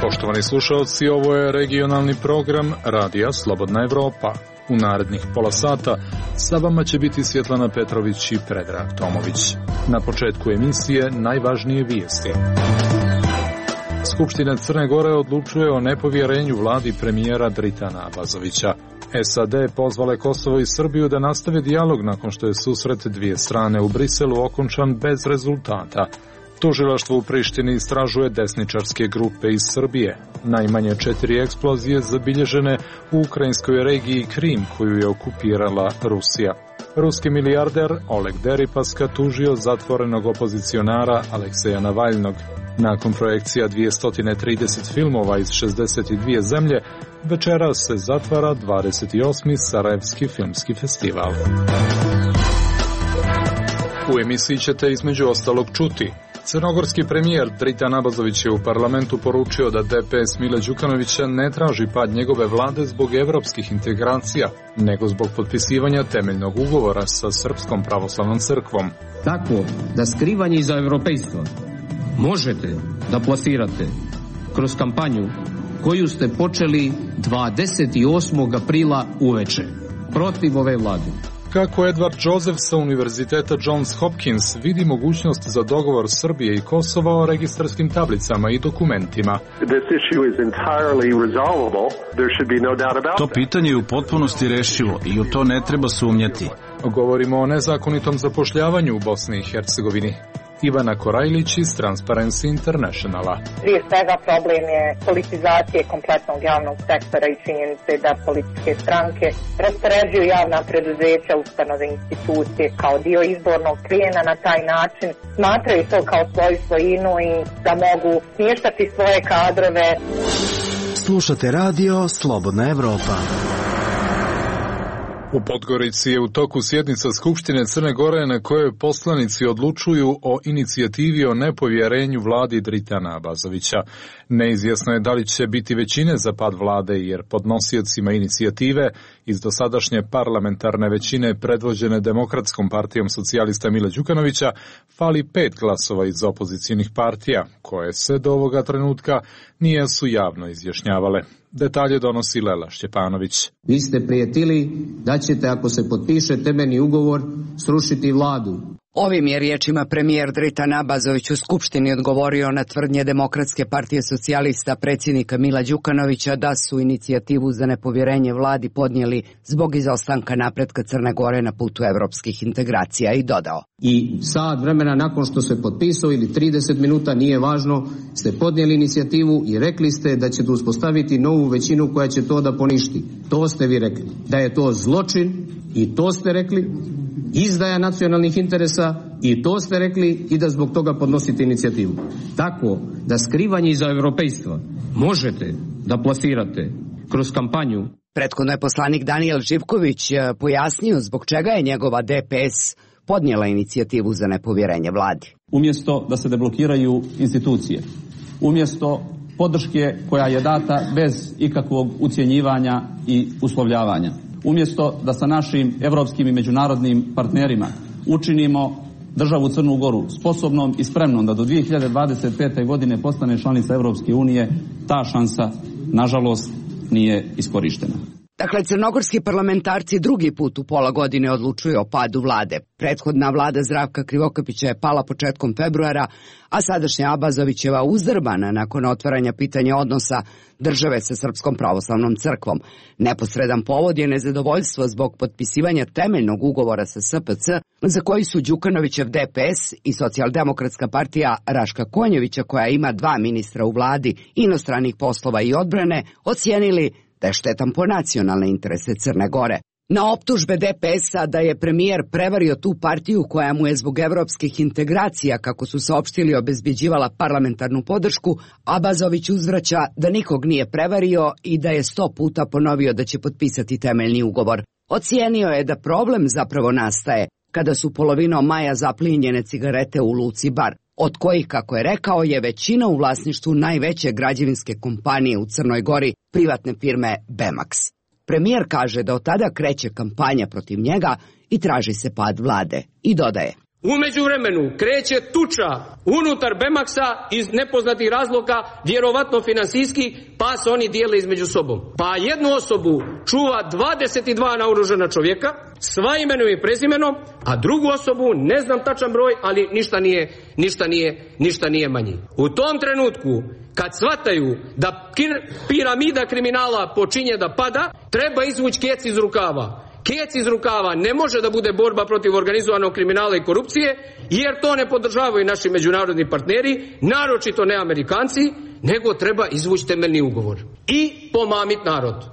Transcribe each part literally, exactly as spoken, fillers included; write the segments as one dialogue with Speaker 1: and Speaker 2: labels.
Speaker 1: Poštovani slušalci, ovo je regionalni program Radija Slobodna Evropa. U narednih pola sata sa vama će biti Svjetlana Petrović i Predrag Tomović. Na početku emisije najvažnije vijesti. Skupština Crne Gore odlučuje o nepovjerenju vladi premijera Dritana Abazovića. S A D pozvale Kosovo i Srbiju da nastave dijalog nakon što je susret dvije strane u Briselu okončan bez rezultata. Tužilaštvo u Prištini istražuje desničarske grupe iz Srbije. Najmanje četiri eksplozije zabilježene u ukrajinskoj regiji Krim, koju je okupirala Rusija. Ruski milijarder Oleg Deripaska tužio zatvorenog opozicionara Alekseja Navalnog. Nakon projekcija dvjesto trideset filmova iz šezdeset dvije zemlje, večeras se zatvara dvadeset osmi Sarajevski filmski festival. U emisiji ćete između ostalog čuti: crnogorski premijer Dritan Abazović je u parlamentu poručio da D P S Mila Đukanovića ne traži pad njegove vlade zbog evropskih integracija, nego zbog potpisivanja temeljnog ugovora sa Srpskom pravoslavnom crkvom.
Speaker 2: Tako da skrivanje iza evropejstva možete da plasirate kroz kampanju koju ste počeli dvadeset osmog aprila uveče protiv ove vlade.
Speaker 1: Kako Edward Joseph sa Univerziteta Johns Hopkins vidi mogućnost za dogovor Srbije i Kosova o registarskim tablicama i dokumentima.
Speaker 3: To pitanje je u potpunosti rešivo i u to ne treba sumnjati.
Speaker 1: Govorimo o nezakonitom zapošljavanju u Bosni i Hercegovini. Ivana Korajlić iz Transparency Internationala.
Speaker 4: Prije svega problem je politizacije kompletnog javnog sektora i činjenice da političke stranke raspoređuju javna preduzeća, ustanove, institucije kao dio izbornog plijena. Na taj način smatraju to kao svoju svojinu i da mogu smještati svoje kadrove.
Speaker 5: Slušate radio Slobodna Evropa.
Speaker 1: U Podgorici je u toku sjednica Skupštine Crne Gore na kojoj poslanici odlučuju o inicijativi o nepovjerenju vladi Dritana Abazovića. Neizvjesno je da li će biti većine za pad vlade, jer podnosiocima inicijative iz dosadašnje parlamentarne većine predvođene Demokratskom partijom socijalista Mila Đukanovića fali pet glasova iz opozicijnih partija, koje se do ovoga trenutka nisu javno izjašnjavale. Detalje donosi Lela Šćepanović.
Speaker 2: Vi ste prijetili da ćete, ako se potpiše temeljni ugovor, srušiti vladu.
Speaker 6: Ovim je riječima premijer Dritan Abazović u Skupštini odgovorio na tvrdnje Demokratske partije socijalista predsjednika Mila Đukanovića da su inicijativu za nepovjerenje vladi podnijeli zbog izostanka napretka Crne Gore na putu evropskih integracija i dodao:
Speaker 2: I sat vremena nakon što se potpisao ili trideset minuta, nije važno, ste podnijeli inicijativu i rekli ste da ćete uspostaviti novu većinu koja će to da poništi. To ste vi rekli. Da je to zločin i to ste rekli. Izdaja nacionalnih interesa i to ste rekli, i da zbog toga podnosite inicijativu. Tako da skrivanje iza evropejstva možete da plasirate kroz kampanju.
Speaker 6: Prethodno je poslanik Danijel Živković pojasnio zbog čega je njegova D P S podnijela inicijativu za nepovjerenje vladi.
Speaker 7: Umjesto da se deblokiraju institucije, umjesto podrške koja je data bez ikakvog ucjenjivanja i uslovljavanja, umjesto da sa našim evropskim i međunarodnim partnerima učinimo državu Crnu Goru sposobnom i spremnom da do dvije hiljade dvadeset pete. godine postane članica Evropske unije, ta šansa, nažalost, nije iskorištena.
Speaker 6: Dakle, crnogorski parlamentarci drugi put u pola godine odlučuju o padu vlade. Prethodna vlada Zdravka Krivokapića je pala početkom februara, a sadašnja Abazovićeva uzdrbana nakon otvaranja pitanja odnosa države sa Srpskom pravoslavnom crkvom. Neposredan povod je nezadovoljstvo zbog potpisivanja temeljnog ugovora sa S P C, za koji su Đukanovićev D P S i Socijaldemokratska partija Raška Konjevića, koja ima dva ministra u vladi inostranih poslova i odbrane, ocijenili da je štetan po nacionalne interese Crne Gore. Na optužbe D P S-a da je premijer prevario tu partiju koja mu je zbog evropskih integracija, kako su saopštili, obezbjeđivala parlamentarnu podršku, Abazović uzvraća da nikog nije prevario i da je sto puta ponovio da će potpisati temeljni ugovor. Ocijenio je da problem zapravo nastaje kada su polovinom maja zaplinjene cigarete u luci Bar, od kojih, kako je rekao, je većina u vlasništvu najveće građevinske kompanije u Crnoj Gori, privatne firme Bemax. Premijer kaže da od tada kreće kampanja protiv njega i traži se pad vlade. I dodaje:
Speaker 8: U međuvremenu kreće tuča unutar Bemaksa iz nepoznatih razloga, vjerovatno finansijski, pa se oni dijele između sobom. Pa jednu osobu čuva dvadeset dva naoružana čovjeka, sva imenom i prezimenom, a drugu osobu ne znam tačan broj, ali ništa nije, ništa nije, ništa nije manji. U tom trenutku, kad shvataju da piramida kriminala počinje da pada, treba izvući kec iz rukava. Kec iz rukava ne može da bude borba protiv organizovanog kriminala i korupcije, jer to ne podržavaju naši međunarodni partneri, naročito ne Amerikanci, nego treba izvući temeljni ugovor i pomamit narod.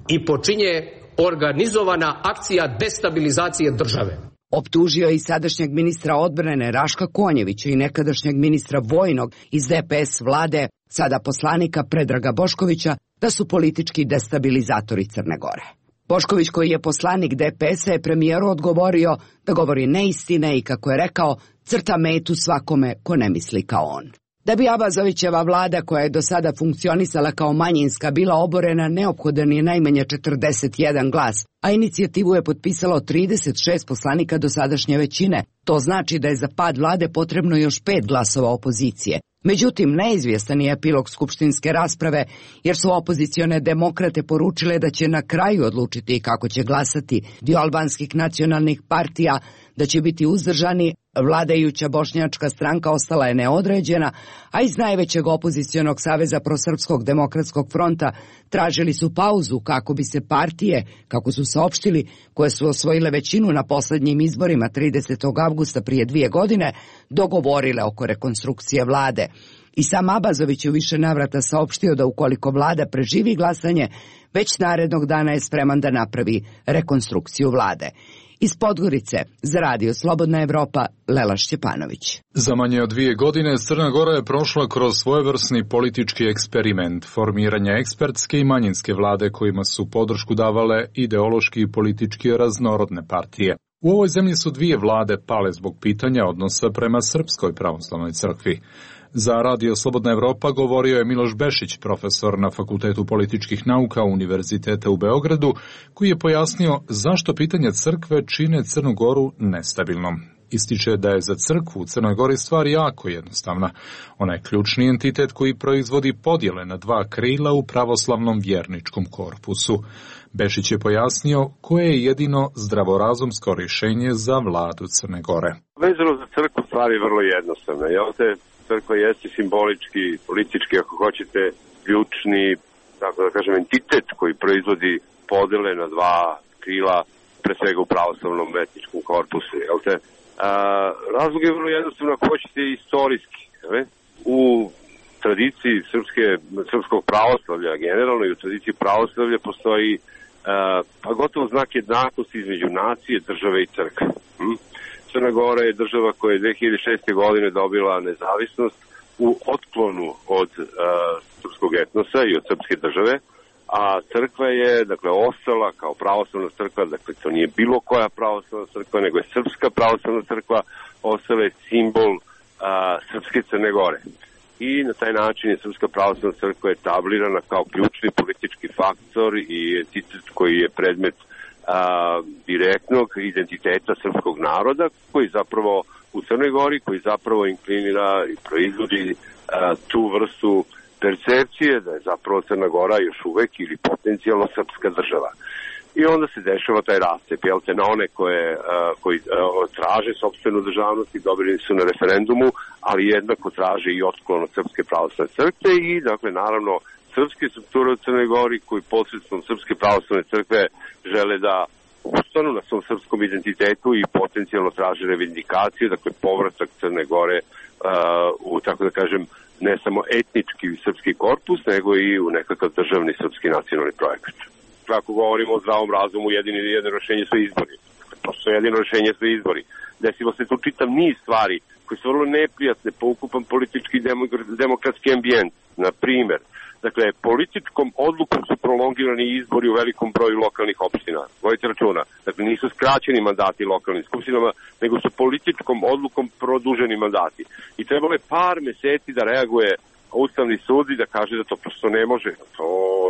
Speaker 8: I počinje organizovana akcija destabilizacije države.
Speaker 6: Optužio je i sadašnjeg ministra odbrane Raška Konjevića i nekadašnjeg ministra vojnog iz D P S vlade, sada poslanika Predraga Boškovića, da su politički destabilizatori Crne Gore. Bošković, koji je poslanik D P S-a, je premijeru odgovorio da govori neistine i, kako je rekao, crta metu svakome ko ne misli kao on. Da bi Abazovićeva vlada, koja je do sada funkcionisala kao manjinska, bila oborena, neophodan je najmanje četrdeset jedan glas, a inicijativu je potpisalo trideset šest poslanika dosadašnje većine. To znači da je za pad vlade potrebno još pet glasova opozicije. Međutim, neizvjestan je epilog skupštinske rasprave, jer su opozicione demokrate poručile da će na kraju odlučiti kako će glasati. Dio albanskih nacionalnih partija da će biti uzdržani, vladajuća bošnjačka stranka ostala je neodređena, a iz najvećeg opozicionog saveza Prosrpskog demokratskog fronta tražili su pauzu kako bi se partije, kako su saopštili, koje su osvojile većinu na posljednjim izborima tridesetog avgusta prije dvije godine, dogovorile oko rekonstrukcije vlade. I sam Abazović u više navrata saopštio da ukoliko vlada preživi glasanje, već narednog dana je spreman da napravi rekonstrukciju vlade. Iz Podgorice, za radio Slobodna Evropa, Lela Šćepanović.
Speaker 1: Za manje od dvije godine Crna Gora je prošla kroz svojevrsni politički eksperiment formiranja ekspertske i manjinske vlade kojima su podršku davale ideološki i politički raznorodne partije. U ovoj zemlji su dvije vlade pale zbog pitanja odnosa prema Srpskoj pravoslavnoj crkvi. Za radio Slobodna Evropa govorio je Miloš Bešić, profesor na Fakultetu političkih nauka Univerziteta u Beogradu, koji je pojasnio zašto pitanje crkve čine Crnu Goru nestabilnom. Ističe da je za crkvu u Crnoj Gori stvar jako jednostavna. Ona je ključni entitet koji proizvodi podjele na dva krila u pravoslavnom vjerničkom korpusu. Bešić je pojasnio koje je jedino zdravorazumsko rješenje za vladu Crne Gore.
Speaker 9: Vezano za crkvu stvar je vrlo jednostavna. Jel te crkva jeste simbolički, politički, ako hoćete, ključni, tako da kažem, entitet koji proizvodi podjele na dva krila, pre svega u pravoslavnom etničkom korpusu. Jel te? A, razlog je vrlo jednostavno, ako hoćete, istorijski. Ne? U tradiciji srpske, srpskog pravoslavlja generalno i u tradiciji pravoslavlja postoji a, pa gotovo znak jednakosti između nacije, države i crkve. Hm? Crna Gora je država koja je dve hiljade šeste. godine dobila nezavisnost u otklonu od uh, srpskog etnosa i od srpske države, a crkva je, dakle, ostala kao pravoslavna crkva, dakle, to nije bilo koja pravoslavna crkva, nego je srpska pravoslavna crkva, ostala je simbol uh, srpske Crne Gore. I na taj način je srpska pravoslavna crkva etablirana kao ključni politički faktor i entitet koji je predmet A, direktnog identiteta srpskog naroda, koji zapravo u Crnoj Gori, koji zapravo inklinira i proizvodi a, tu vrstu percepcije da je zapravo Crna Gora još uvek ili potencijalno srpska država. I onda se dešava taj rastep, jel te, na one koje, a, koji a, traže sopstvenu državnost i dobili su na referendumu, ali jednako traže i otklon od Srpske pravoslavne crkve i, dakle, naravno, srpske strukture u Crnoj Gori koji posredstvom Srpske pravoslavne crkve žele da ustanu na svom srpskom identitetu i potencijalno traže revindikaciju, dakle povratak Crne Gore uh, u, tako da kažem, ne samo etnički srpski korpus, nego i u nekakav državni srpski nacionalni projekat. Ako govorimo o zdravom razumu, jedino jedino rešenje su izbori. Prosto jedino rešenje su izbori. Desilo se tu čitav niz stvari koji su vrlo neprijatne po ukupan politički demokratski ambijent. Na primer, dakle, političkom odlukom su prolongirani izbori u velikom broju lokalnih opština. Vojite računa. Dakle, nisu skraćeni mandati lokalnim skupštinama, nego su političkom odlukom produženi mandati. I trebalo je par meseci da reaguje Ustavni sud i da kaže da to prosto ne može. To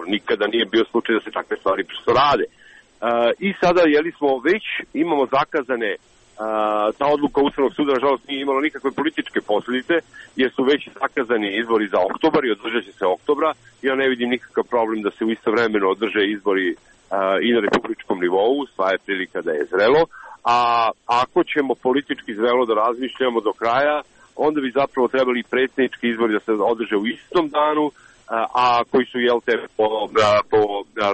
Speaker 9: nikada nije bio slučaj da se takve stvari prosto rade. Uh, I sada, jeli smo već, imamo zakazane uh, ta odluka Ustavnog suda nažalost nije imala nikakve političke posljedice, jer su već zakazani izbori za oktobar i održat će se oktobra. Ja ne vidim nikakav problem da se u istovremeno održe izbori i na republičkom nivou, sva je prilika da je zrelo. A ako ćemo politički zrelo da razmišljamo do kraja, onda bi zapravo trebali predsjednički izbori da se održe u istom danu, a koji su, jel te, po, po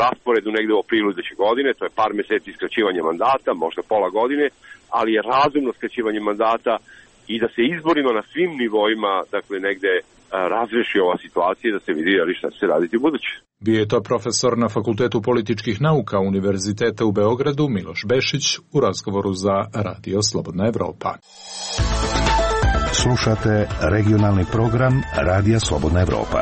Speaker 9: rasporedu negde u aprilu iduće godine, to je par meseci skraćivanja mandata, možda pola godine, ali je razumno skraćivanje mandata i da se izborima na svim nivoima, dakle, negde razreši ova situacija i da se vidi ali šta će se raditi u buduće.
Speaker 1: Bio je to profesor na Fakultetu političkih nauka Univerziteta u Beogradu Miloš Bešić u razgovoru za Radio Slobodna Evropa.
Speaker 5: Slušate regionalni program Radija Slobodna Evropa.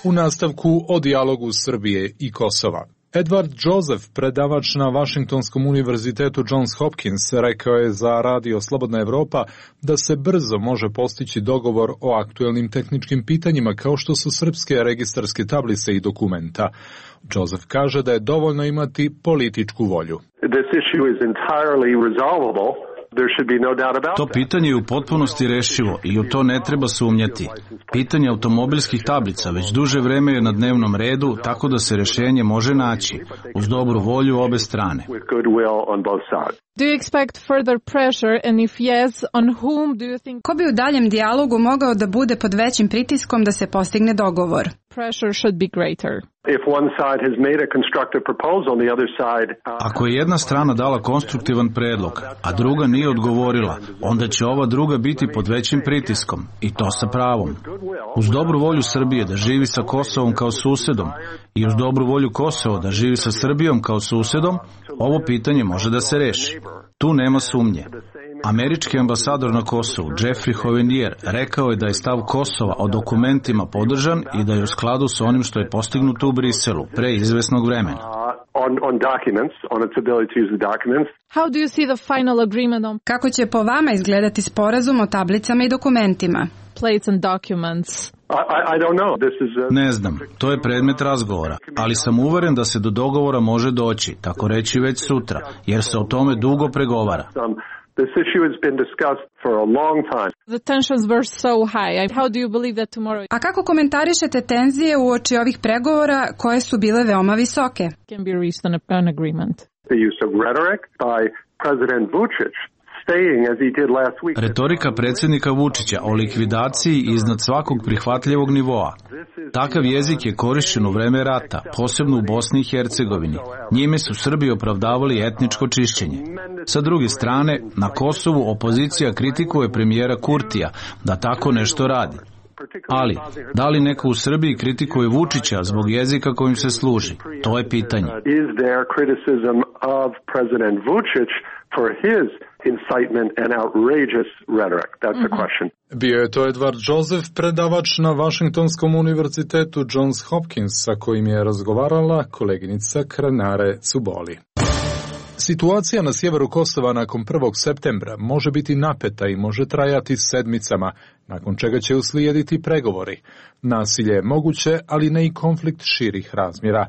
Speaker 1: U nastavku o dijalogu Srbije i Kosova. Edward Joseph, predavač na Vašingtonskom univerzitetu Johns Hopkins, rekao je za Radio Slobodna Evropa da se brzo može postići dogovor o aktuelnim tehničkim pitanjima kao što su srpske registarske tablice i dokumenta. Joseph kaže da je dovoljno imati političku volju.
Speaker 10: This issue is entirely resolvable.
Speaker 3: To pitanje je u potpunosti rešivo i u to ne treba sumnjati. Pitanje automobilskih tablica već duže vreme je na dnevnom redu, tako da se rešenje može naći uz dobru volju obe strane.
Speaker 11: Do you expect further pressure, and if yes, on whom do you think?
Speaker 12: Ko bi u daljem dijalogu mogao da bude pod većim pritiskom da se postigne dogovor?
Speaker 11: Pressure should be greater.
Speaker 10: If one side has made a constructive proposal, the other side.
Speaker 3: Ako je jedna strana dala konstruktivan predlog, a druga nije odgovorila, onda će ova druga biti pod većim pritiskom, i to sa pravom. Uz dobru volju Srbije da živi sa Kosovom kao susedom i uz dobru volju Kosova da živi sa Srbijom kao susedom, ovo pitanje može da se reši. Tu nema sumnje. Američki ambasador na Kosovu, Jeffrey Hovenier, rekao je da je stav Kosova o dokumentima podržan i da je u skladu sa onim što je postignuto u Briselu pre izvesnog vremena.
Speaker 10: On, on documents, on its ability to use the documents.
Speaker 11: How do you see the final agreement on...
Speaker 12: Kako će po vama izgledati sporazum o tablicama i dokumentima?
Speaker 11: Plates and documents.
Speaker 10: I, I don't know. This is a...
Speaker 3: Ne znam, to je predmet razgovora, ali sam uveren da se do dogovora može doći, tako reći već sutra, jer se o tome dugo pregovara.
Speaker 10: This issue has been discussed for a long time.
Speaker 11: The tensions were so high. How do you believe that tomorrow?
Speaker 12: A kako komentarišete tenzije uoči ovih pregovora koje su bile veoma visoke?
Speaker 11: Can be reached an, an agreement.
Speaker 10: The use of rhetoric by President Vučić.
Speaker 3: Retorika predsjednika Vučića o likvidaciji iznad svakog prihvatljivog nivoa. Takav jezik je korišćen u vreme rata, posebno u Bosni i Hercegovini. Njime su Srbi opravdavali etničko čišćenje. Sa druge strane, na Kosovu opozicija kritikuje premijera Kurtija da tako nešto radi. Ali, da li neko u Srbiji kritikuje Vučića zbog jezika kojim se služi? To je pitanje.
Speaker 10: For his incitement and outrageous rhetoric. That's the question.
Speaker 1: Bio je to Edward Joseph, predavač na Vašingtonskom univerzitetu Johns Hopkins, sa kojim je razgovarala koleginica Kranare Cuboli. Situacija na sjeveru Kosova nakon prvog septembra može biti napeta i može trajati sedmicama, nakon čega će uslijediti pregovori. Nasilje je moguće, ali ne i konflikt širih razmjera.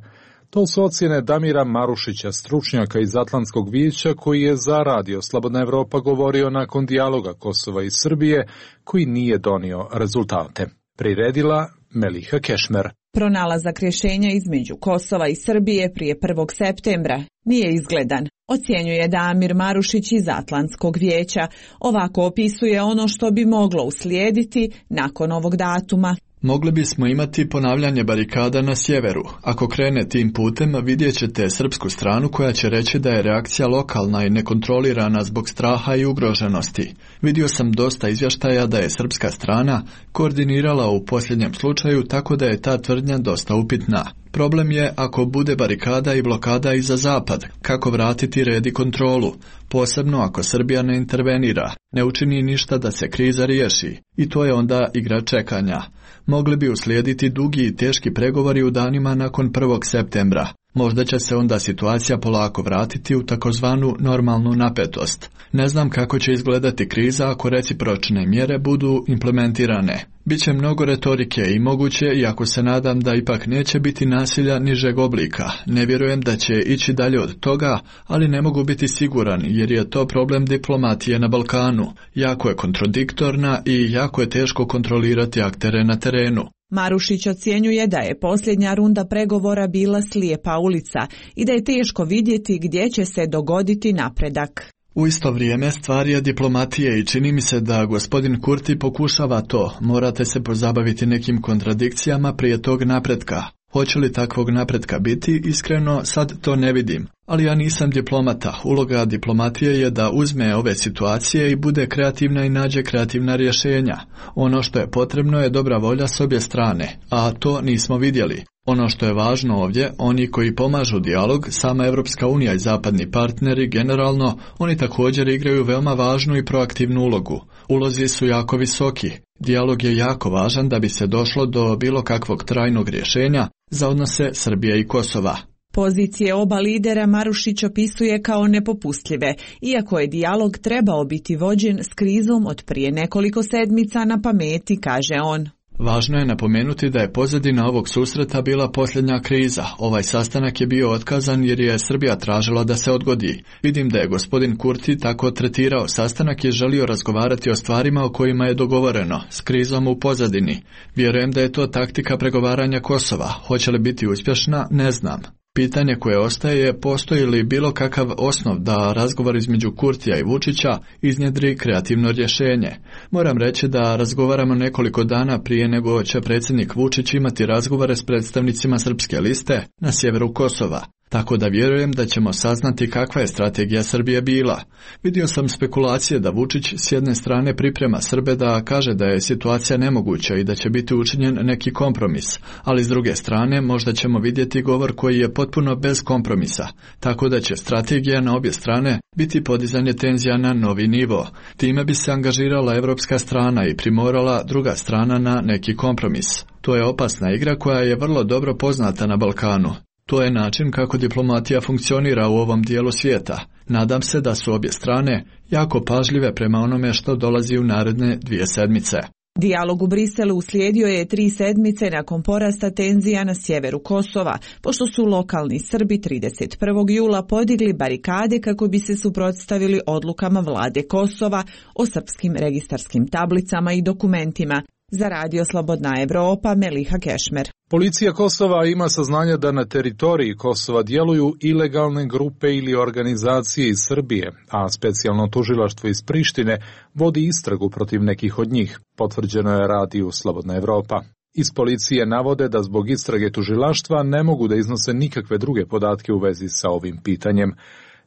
Speaker 1: To su ocjene Damira Marušića, stručnjaka iz Atlantskog vijeća, koji je za Radio Slobodna Evropa govorio nakon dijaloga Kosova i Srbije, koji nije donio rezultate. Priredila Meliha Kešmer.
Speaker 13: Pronalazak rješenja između Kosova i Srbije prije prvog septembra nije izgledan, ocjenjuje Damir Marušić iz Atlantskog vijeća. Ovako opisuje ono što bi moglo uslijediti nakon ovog datuma.
Speaker 14: Mogli bismo imati ponavljanje barikada na sjeveru. Ako krene tim putem, vidjet ćete srpsku stranu koja će reći da je reakcija lokalna i nekontrolirana zbog straha i ugroženosti. Vidio sam dosta izvještaja da je srpska strana koordinirala u posljednjem slučaju, tako da je ta tvrdnja dosta upitna. Problem je ako bude barikada i blokada i za zapad, kako vratiti red i kontrolu, posebno ako Srbija ne intervenira, ne učini ništa da se kriza riješi. I to je onda igra čekanja. Mogli bi uslijediti dugi i teški pregovori u danima nakon prvog septembra. Možda će se onda situacija polako vratiti u takozvanu normalnu napetost. Ne znam kako će izgledati kriza ako recipročne mjere budu implementirane. Biće mnogo retorike i moguće, iako se nadam da ipak neće biti nasilja nižeg oblika. Ne vjerujem da će ići dalje od toga, ali ne mogu biti siguran jer je to problem diplomatije na Balkanu. Jako je kontradiktorna i jako je teško kontrolirati aktere na terenu.
Speaker 13: Marušić ocjenjuje da je posljednja runda pregovora bila slijepa ulica i da je teško vidjeti gdje će se dogoditi napredak.
Speaker 14: U isto vrijeme stvar je diplomatije i čini mi se da gospodin Kurti pokušava to. Morate se pozabaviti nekim kontradikcijama prije tog napretka. Hoće li takvog napretka biti? Iskreno, sad to ne vidim. Ali ja nisam diplomata. Uloga diplomatije je da uzme ove situacije i bude kreativna i nađe kreativna rješenja. Ono što je potrebno je dobra volja s obje strane, a to nismo vidjeli. Ono što je važno ovdje, oni koji pomažu dijalog, sama Europska unija i zapadni partneri generalno, oni također igraju veoma važnu i proaktivnu ulogu. Ulozi su jako visoki. Dijalog je jako važan da bi se došlo do bilo kakvog trajnog rješenja za odnose Srbije i Kosova.
Speaker 13: Pozicije oba lidera Marušić opisuje kao nepopustljive, iako je dijalog trebao biti vođen s krizom od prije nekoliko sedmica na pameti, kaže on.
Speaker 14: Važno je napomenuti da je pozadina ovog susreta bila posljednja kriza. Ovaj sastanak je bio otkazan jer je Srbija tražila da se odgodi. Vidim da je gospodin Kurti tako tretirao sastanak i želio razgovarati o stvarima o kojima je dogovoreno, s krizom u pozadini. Vjerujem da je to taktika pregovaranja Kosova. Hoće li biti uspješna, ne znam. Pitanje koje ostaje je postoji li bilo kakav osnov da razgovor između Kurtija i Vučića iznjedri kreativno rješenje. Moram reći da razgovaramo nekoliko dana prije nego će predsjednik Vučić imati razgovore s predstavnicima Srpske liste na sjeveru Kosova. Tako da vjerujem da ćemo saznati kakva je strategija Srbije bila. Vidio sam spekulacije da Vučić s jedne strane priprema Srbe da kaže da je situacija nemoguća i da će biti učinjen neki kompromis, ali s druge strane možda ćemo vidjeti govor koji je potpuno bez kompromisa, tako da će strategija na obje strane biti podizanje tenzija na novi nivo. Time bi se angažirala evropska strana i primorala druga strana na neki kompromis. To je opasna igra koja je vrlo dobro poznata na Balkanu. To je način kako diplomatija funkcionira u ovom dijelu svijeta. Nadam se da su obje strane jako pažljive prema onome što dolazi u naredne dvije sedmice.
Speaker 13: Dijalog u Briselu uslijedio je tri sedmice nakon porasta tenzija na sjeveru Kosova, pošto su lokalni Srbi trideset prvog jula podigli barikade kako bi se suprotstavili odlukama vlade Kosova o srpskim registarskim tablicama i dokumentima. Za Radio Slobodna Evropa, Meliha Kešmer.
Speaker 1: Policija Kosova ima saznanja da na teritoriji Kosova djeluju ilegalne grupe ili organizacije iz Srbije, a specijalno tužilaštvo iz Prištine vodi istragu protiv nekih od njih, potvrđeno je Radiju Slobodna Evropa. Iz policije navode da zbog istrage tužilaštva ne mogu da iznose nikakve druge podatke u vezi sa ovim pitanjem.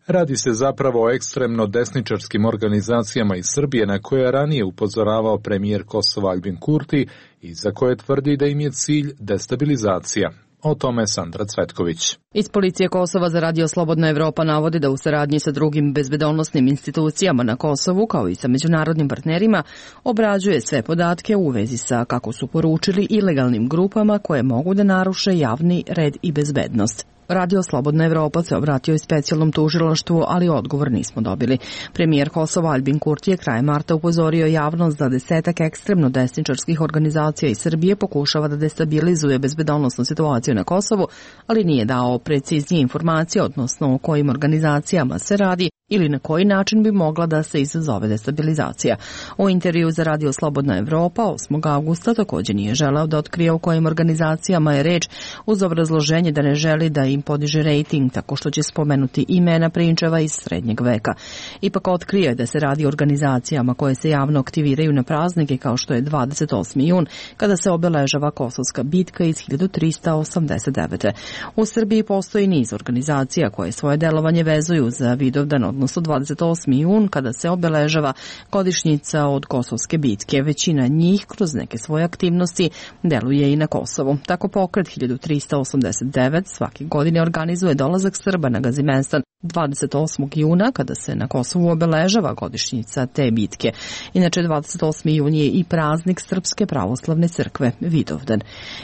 Speaker 1: Radi se zapravo o ekstremno desničarskim organizacijama iz Srbije na koje je ranije upozoravao premijer Kosova Albin Kurti i za koje tvrdi da im je cilj destabilizacija. O tome Sandra Cvetković.
Speaker 15: Iz policije Kosova za Radio Slobodna Evropa navodi da u saradnji sa drugim bezbednosnim institucijama na Kosovu, kao i sa međunarodnim partnerima, obrađuje sve podatke u vezi sa, kako su poručili, ilegalnim grupama koje mogu da naruše javni red i bezbednost. Radio Slobodna Evropa se obratio i specijalnom tužilaštvu, ali odgovor nismo dobili. Premijer Kosova Albin Kurti je krajem marta upozorio javnost da desetak ekstremno desničarskih organizacija iz Srbije pokušava da destabilizuje bezbednosnu situaciju na Kosovu, ali nije dao preciznije informacije, odnosno o kojim organizacijama se radi ili na koji način bi mogla da se izazove destabilizacija. U intervju za Radio Slobodna Evropa osmog avgusta također nije želeo da otkrije o kojim organizacijama je reč, uz obrazloženje da ne želi da im podiže rejting tako što će spomenuti imena prinčeva iz srednjeg veka. Ipak otkrio je da se radi o organizacijama koje se javno aktiviraju na praznike kao što je dvadeset osmi jun, kada se obeležava Kosovska bitka iz hiljadu trista osamdeset devete. U Srbiji postoji niz organizacija koje svoje delovanje vezuju za Vidovdan, odnosno dvadeset osmi jun, kada se obeležava godišnjica od Kosovske bitke. Većina njih kroz neke svoje aktivnosti deluje i na Kosovu. Tako pokret hiljadu trista osamdeset devet svake godine organizuje dolazak Srba na Gazimenstan dvadeset osmog juna, kada se na Kosovu obeležava godišnjica te bitke. Inače, dvadeset osmi jun je i praznik Srpske pravoslavne crkve Vidovdan.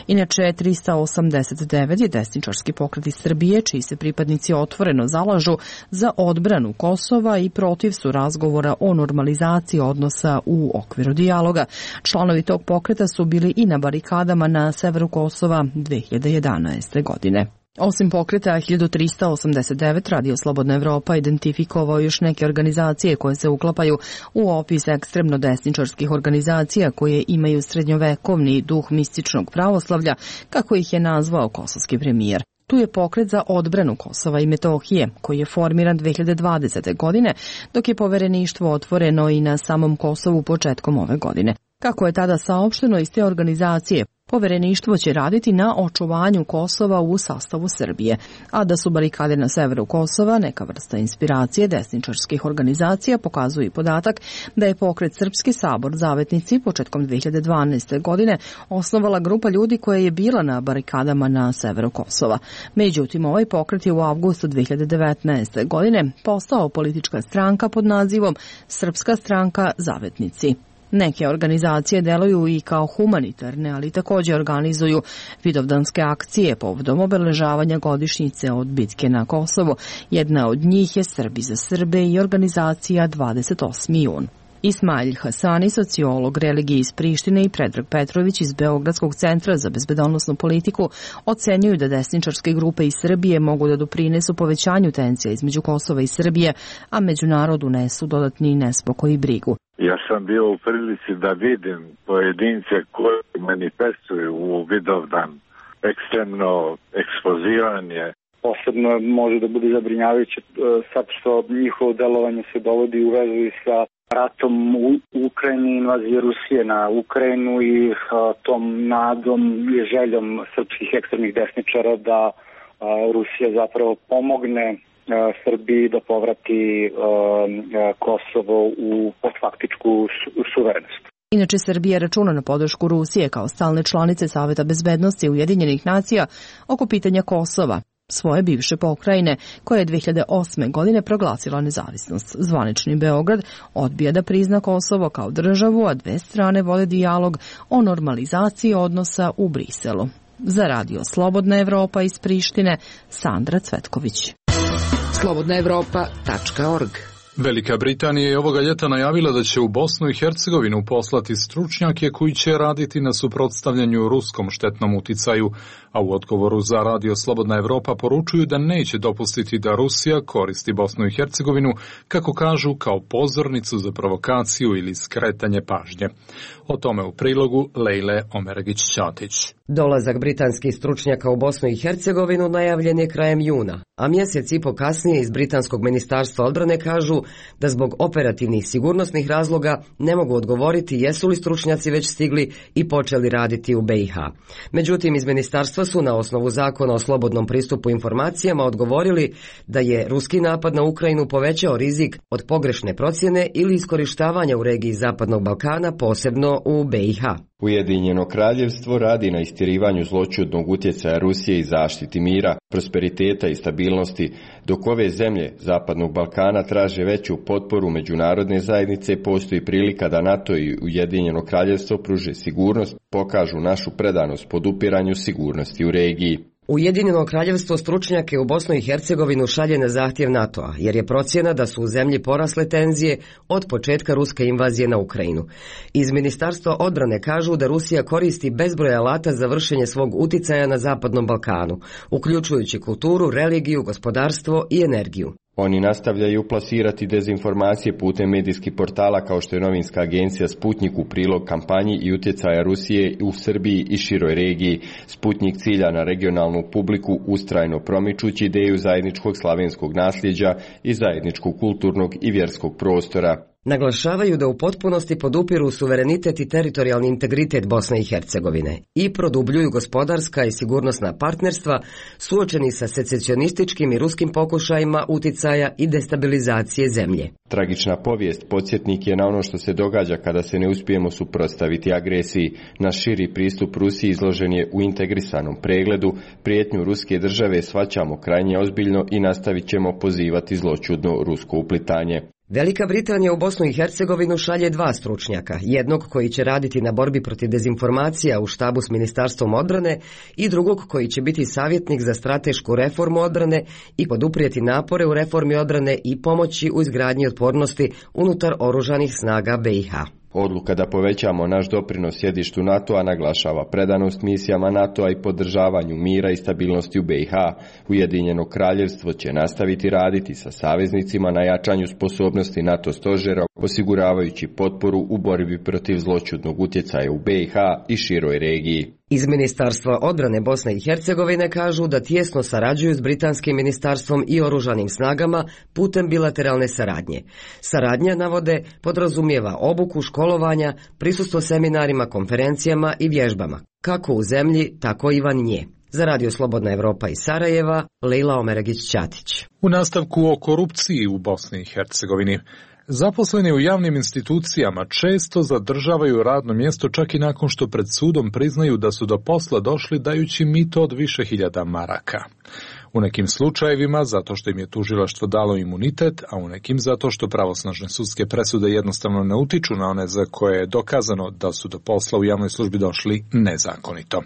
Speaker 15: Inače, trista osamdeset devet je desničarski pokret iz Srbije, čiji se pripadnici otvoreno zalažu za odbranu Kosova i protiv su razgovora o normalizaciji odnosa u okviru dijaloga. Članovi tog pokreta su bili i na barikadama na severu Kosova dve hiljade jedanaeste. godine. Osim pokreta hiljadu trista osamdeset devet, Radio Slobodna Evropa identifikovao još neke organizacije koje se uklapaju u opis ekstremno desničarskih organizacija koje imaju srednjovekovni duh mističnog pravoslavlja, kako ih je nazvao kosovski premijer. Tu je pokret za odbranu Kosova i Metohije, koji je formiran dve hiljade dvadesete. godine, dok je povereništvo otvoreno i na samom Kosovu početkom ove godine. Kako je tada saopšteno iz te organizacije, povereništvo će raditi na očuvanju Kosova u sastavu Srbije, a da su barikade na severu Kosova neka vrsta inspiracije desničarskih organizacija pokazuje i podatak da je pokret Srpski sabor Zavetnici početkom dve hiljade dvanaeste. godine osnovala grupa ljudi koja je bila na barikadama na severu Kosova. Međutim, ovaj pokret je u avgustu dve hiljade devetnaeste. godine postao politička stranka pod nazivom Srpska stranka Zavetnici. Neke organizacije deluju i kao humanitarne, ali također organizuju vidovdanske akcije povodom obeležavanja godišnjice od bitke na Kosovu. Jedna od njih je Srbi za Srbe i organizacija dvadeset osmi jun. Ismail Hasani, sociolog religije iz Prištine, i Predrag Petrović iz Beogradskog centra za bezbedonosnu politiku ocenjuju da desničarske grupe iz Srbije mogu da doprinesu povećanju tenzija između Kosova i Srbije, a međunarodu nesu dodatni nespokoj i brigu.
Speaker 16: Ja sam bio u prilici da vidim pojedince koji manifestuju u Vidovdan ekstremno ekspozivanje.
Speaker 17: Posebno može da bude zabrinjavajuće sad što njihovo delovanje se dovodi u vezu i sa ratom u Ukrajini, invazije Rusije na Ukrajinu i a, tom nadom i željom srpskih ekstremnih desničara da a, Rusija zapravo pomogne a, Srbiji da povrati a, a, Kosovo u faktičku su, suverenost.
Speaker 15: Inače, Srbija računa na podršku Rusije kao stalne članice Saveta bezbednosti Ujedinjenih nacija oko pitanja Kosova, svoje bivše pokrajine, koja je dve hiljade osme. godine proglasila nezavisnost. Zvanični Beograd odbija da prizna Kosovo kao državu, a dve strane vode dijalog o normalizaciji odnosa u Briselu. Za Radio Slobodna Evropa iz Prištine, Sandra Cvetković.
Speaker 6: slobodna evropa tačka org.
Speaker 1: Velika Britanija je ovoga ljeta najavila da će u Bosnu i Hercegovinu poslati stručnjake koji će raditi na suprotstavljanju ruskom štetnom uticaju, a u odgovoru za Radio Slobodna Evropa poručuju da neće dopustiti da Rusija koristi Bosnu i Hercegovinu, kako kažu, kao pozornicu za provokaciju ili skretanje pažnje. O tome u prilogu Lejle Omeregić-Ćatić.
Speaker 18: Dolazak britanskih stručnjaka u Bosnu i Hercegovinu najavljen je krajem juna, a mjesec i po kasnije iz britanskog ministarstva odbrane kažu da zbog operativnih sigurnosnih razloga ne mogu odgovoriti jesu li stručnjaci već stigli i počeli raditi u B i H. Međutim, iz ministarstva su na osnovu zakona o slobodnom pristupu informacijama odgovorili da je ruski napad na Ukrajinu povećao rizik od pogrešne procjene ili iskorištavanja u regiji Zapadnog Balkana, posebno u B i H.
Speaker 19: Ujedinjeno kraljevstvo radi na istjerivanju zloćudnog utjecaja Rusije i zaštiti mira, prosperiteta i stabilnosti, dok ove zemlje Zapadnog Balkana traže veću potporu međunarodne zajednice, postoji prilika da NATO i Ujedinjeno kraljevstvo pruže sigurnost, pokažu našu predanost podupiranju sigurnosti u regiji.
Speaker 18: Ujedinjeno kraljevstvo stručnjake u Bosnu i Hercegovinu šalje na zahtjev NATO-a, jer je procjena da su u zemlji porasle tenzije od početka ruske invazije na Ukrajinu. Iz Ministarstva odbrane kažu da Rusija koristi bezbroj alata za vršenje svog uticaja na Zapadnom Balkanu, uključujući kulturu, religiju, gospodarstvo i energiju.
Speaker 19: Oni nastavljaju plasirati dezinformacije putem medijskih portala kao što je novinska agencija Sputnik u prilog kampanji i utjecaja Rusije u Srbiji i široj regiji. Sputnik cilja na regionalnu publiku ustrajno promičući ideju zajedničkog slavenskog nasljeđa i zajedničkog kulturnog i vjerskog prostora.
Speaker 18: Naglašavaju da u potpunosti podupiru suverenitet i teritorijalni integritet Bosne i Hercegovine i produbljuju gospodarska i sigurnosna partnerstva suočeni sa secesionističkim i ruskim pokušajima uticaja i destabilizacije zemlje.
Speaker 19: Tragična povijest podsjetnik je na ono što se događa kada se ne uspijemo suprotstaviti agresiji. Naš širi pristup Rusiji izložen je u integrisanom pregledu. Prijetnju ruske države shvaćamo krajnje ozbiljno i nastavit ćemo pozivati zloćudno rusko uplitanje.
Speaker 18: Velika Britanija u Bosnu i Hercegovinu šalje dva stručnjaka, jednog koji će raditi na borbi protiv dezinformacija u štabu s Ministarstvom odbrane i drugog koji će biti savjetnik za stratešku reformu odbrane i poduprijeti napore u reformi odbrane i pomoći u izgradnji otpornosti unutar oružanih snaga B i H.
Speaker 19: Odluka da povećamo naš doprinos sjedištu NATO-a naglašava predanost misijama NATO-a i podržavanju mira i stabilnosti u B i H. Ujedinjeno kraljevstvo će nastaviti raditi sa saveznicima na jačanju sposobnosti NATO stožera, osiguravajući potporu u borbi protiv zloćudnog utjecaja u B i H i široj regiji.
Speaker 18: Iz Ministarstva odbrane Bosne i Hercegovine kažu da tijesno sarađuju s Britanskim ministarstvom i oružanim snagama putem bilateralne saradnje. Saradnja, navode, podrazumijeva obuku, školovanja, prisustvo seminarima, konferencijama i vježbama, kako u zemlji, tako i van nje. Za Radio Slobodna Evropa iz Sarajeva, Lejla Omeregić-Ćatić.
Speaker 1: U nastavku o korupciji u Bosni i Hercegovini. Zaposleni u javnim institucijama često zadržavaju radno mjesto čak i nakon što pred sudom priznaju da su do posla došli dajući mito od više hiljada maraka. U nekim slučajevima zato što im je tužilaštvo dalo imunitet, a u nekim zato što pravosnažne sudske presude jednostavno ne utiču na one za koje je dokazano da su do posla u javnoj službi došli nezakonito.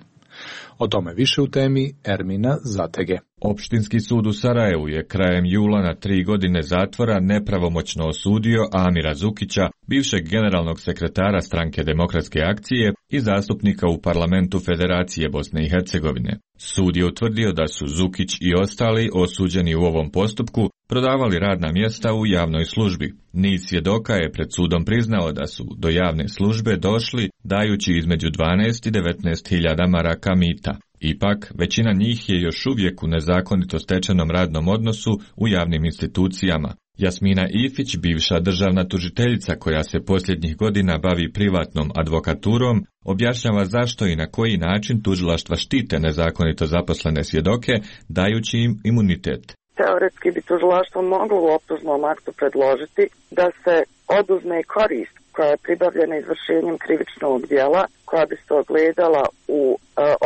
Speaker 1: O tome više u temi Ermina Zatege.
Speaker 20: Opštinski sud u Sarajevu je krajem jula na tri godine zatvora nepravomoćno osudio Amira Zukića, bivšeg generalnog sekretara Stranke demokratske akcije i zastupnika u parlamentu Federacije Bosne i Hercegovine. Sud je utvrdio da su Zukić i ostali osuđeni u ovom postupku prodavali radna mjesta u javnoj službi. Niz svjedoka je pred sudom priznao da su do javne službe došli dajući između dvanaest i devetnaest hiljada maraka mita. Ipak, većina njih je još uvijek u nezakonito stečenom radnom odnosu u javnim institucijama. Jasmina Ifić, bivša državna tužiteljica koja se posljednjih godina bavi privatnom advokaturom, objašnjava zašto i na koji način tužilaštva štite nezakonito zaposlene svjedoke, dajući im imunitet.
Speaker 21: Teoretski bi tužilaštvo moglo u optužnom aktu predložiti da se oduzme korist koja je pribavljena izvršenjem krivičnog djela, koja bi se ogledala u e,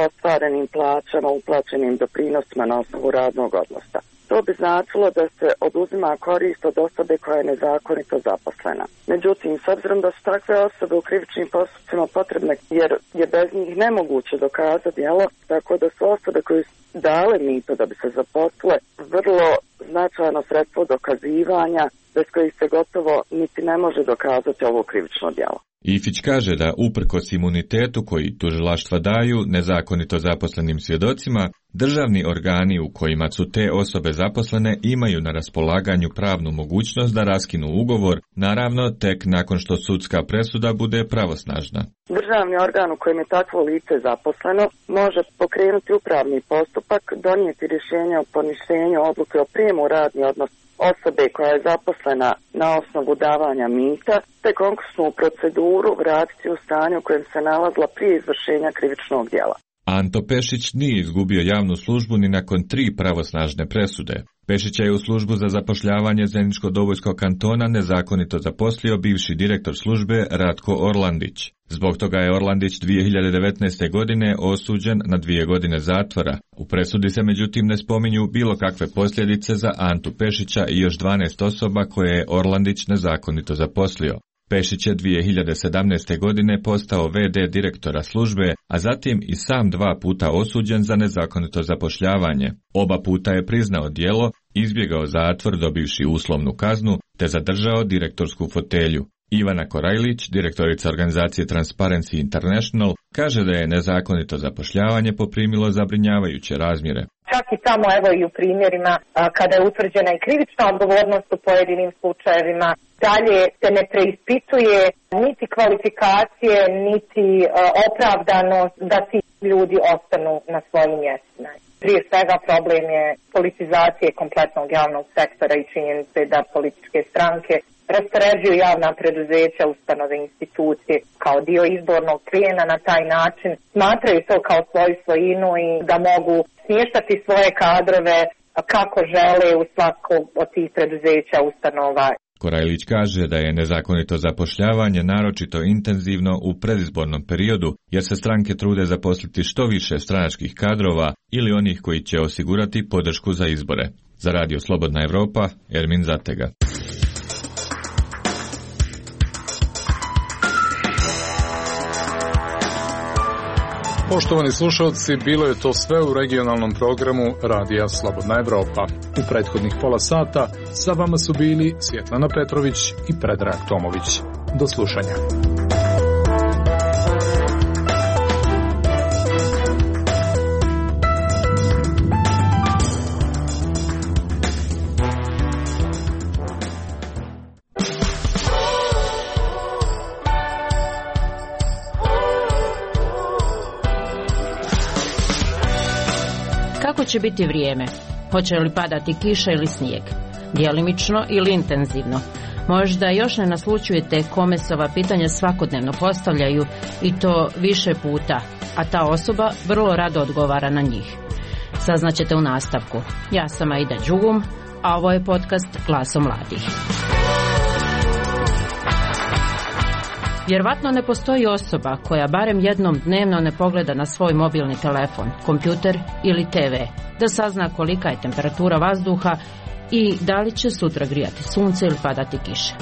Speaker 21: ostvarenim plaćama, uplaćenim doprinosima na osnovu radnog odnosa. To bi značilo da se oduzima korist od osobe koja je nezakonito zaposlena. Međutim, s obzirom da su takve osobe u krivičnim postupcima potrebne, jer je bez njih nemoguće dokazati djelo, tako da su osobe koje su dale mito da bi se zaposlile vrlo značajno sredstvo dokazivanja, bez kojih se gotovo niti ne može dokazati ovo krivično djelo.
Speaker 20: Ifić kaže da uprkos imunitetu koji tužilaštva daju nezakonito zaposlenim svjedocima, državni organi u kojima su te osobe zaposlene imaju na raspolaganju pravnu mogućnost da raskinu ugovor, naravno tek nakon što sudska presuda bude pravosnažna.
Speaker 21: Državni organ u kojem je takvo lice zaposleno može pokrenuti upravni postupak, donijeti rješenje o poništenju odluke o prijemu u radni odnos osobe koja je zaposlena na osnovu davanja mita, te konkursnu proceduru vratiti u stanje u kojem se nalazila prije izvršenja krivičnog djela.
Speaker 20: Anto Pešić nije izgubio javnu službu ni nakon tri pravosnažne presude. Pešića je u službu za zapošljavanje Zeničko-Dobojskog kantona nezakonito zaposlio bivši direktor službe Ratko Orlandić. Zbog toga je Orlandić dvije hiljade devetnaeste. godine osuđen na dvije godine zatvora. U presudi se međutim ne spominju bilo kakve posljedice za Antu Pešića i još dvanaest osoba koje je Orlandić nezakonito zaposlio. Pešić je dvije hiljade sedamnaeste. godine postao ve de direktora službe, a zatim i sam dva puta osuđen za nezakonito zapošljavanje. Oba puta je priznao djelo, izbjegao zatvor dobivši uslovnu kaznu, te zadržao direktorsku fotelju. Ivana Korajlić, direktorica organizacije Transparency International, kaže da je nezakonito zapošljavanje poprimilo zabrinjavajuće razmjere.
Speaker 4: Čak i tamo, evo i u primjerima, kada je utvrđena i krivična odgovornost u pojedinim slučajevima, dalje se ne preispituje niti kvalifikacije, niti opravdanost da ti ljudi ostanu na svojim mjestima. Prije svega problem je politizacije kompletnog javnog sektora i činjenice da političke stranke raspoređuju javna preduzeća, ustanove, institucije kao dio izbornog plijena. Na taj način smatraju to kao svoju svojinu i da mogu smještati svoje kadrove kako žele u svako od tih preduzeća, ustanova.
Speaker 20: Korajlić kaže da je nezakonito zapošljavanje naročito intenzivno u predizbornom periodu, jer se stranke trude zaposliti što više stranačkih kadrova ili onih koji će osigurati podršku za izbore. Za Radio Slobodna Evropa, Ermin Zatega.
Speaker 1: Poštovani slušalci, bilo je to sve u regionalnom programu Radija Slobodna Evropa. U prethodnih pola sata sa vama su bili Svjetlana Petrović i Predrag Tomović. Do slušanja.
Speaker 2: Kako će biti vrijeme? Hoće li padati kiša ili snijeg? Djelimično ili intenzivno? Možda još ne naslućujete kome se ova pitanja svakodnevno postavljaju i to više puta, a ta osoba vrlo rado odgovara na njih. Saznaćete u nastavku. Ja sam Aida Đugum, a ovo je podcast Glasom mladih. Vjerovatno ne postoji osoba koja barem jednom dnevno ne pogleda na svoj mobilni telefon, kompjuter ili te ve, da sazna kolika je temperatura vazduha i da li će sutra grijati sunce ili padati kiša.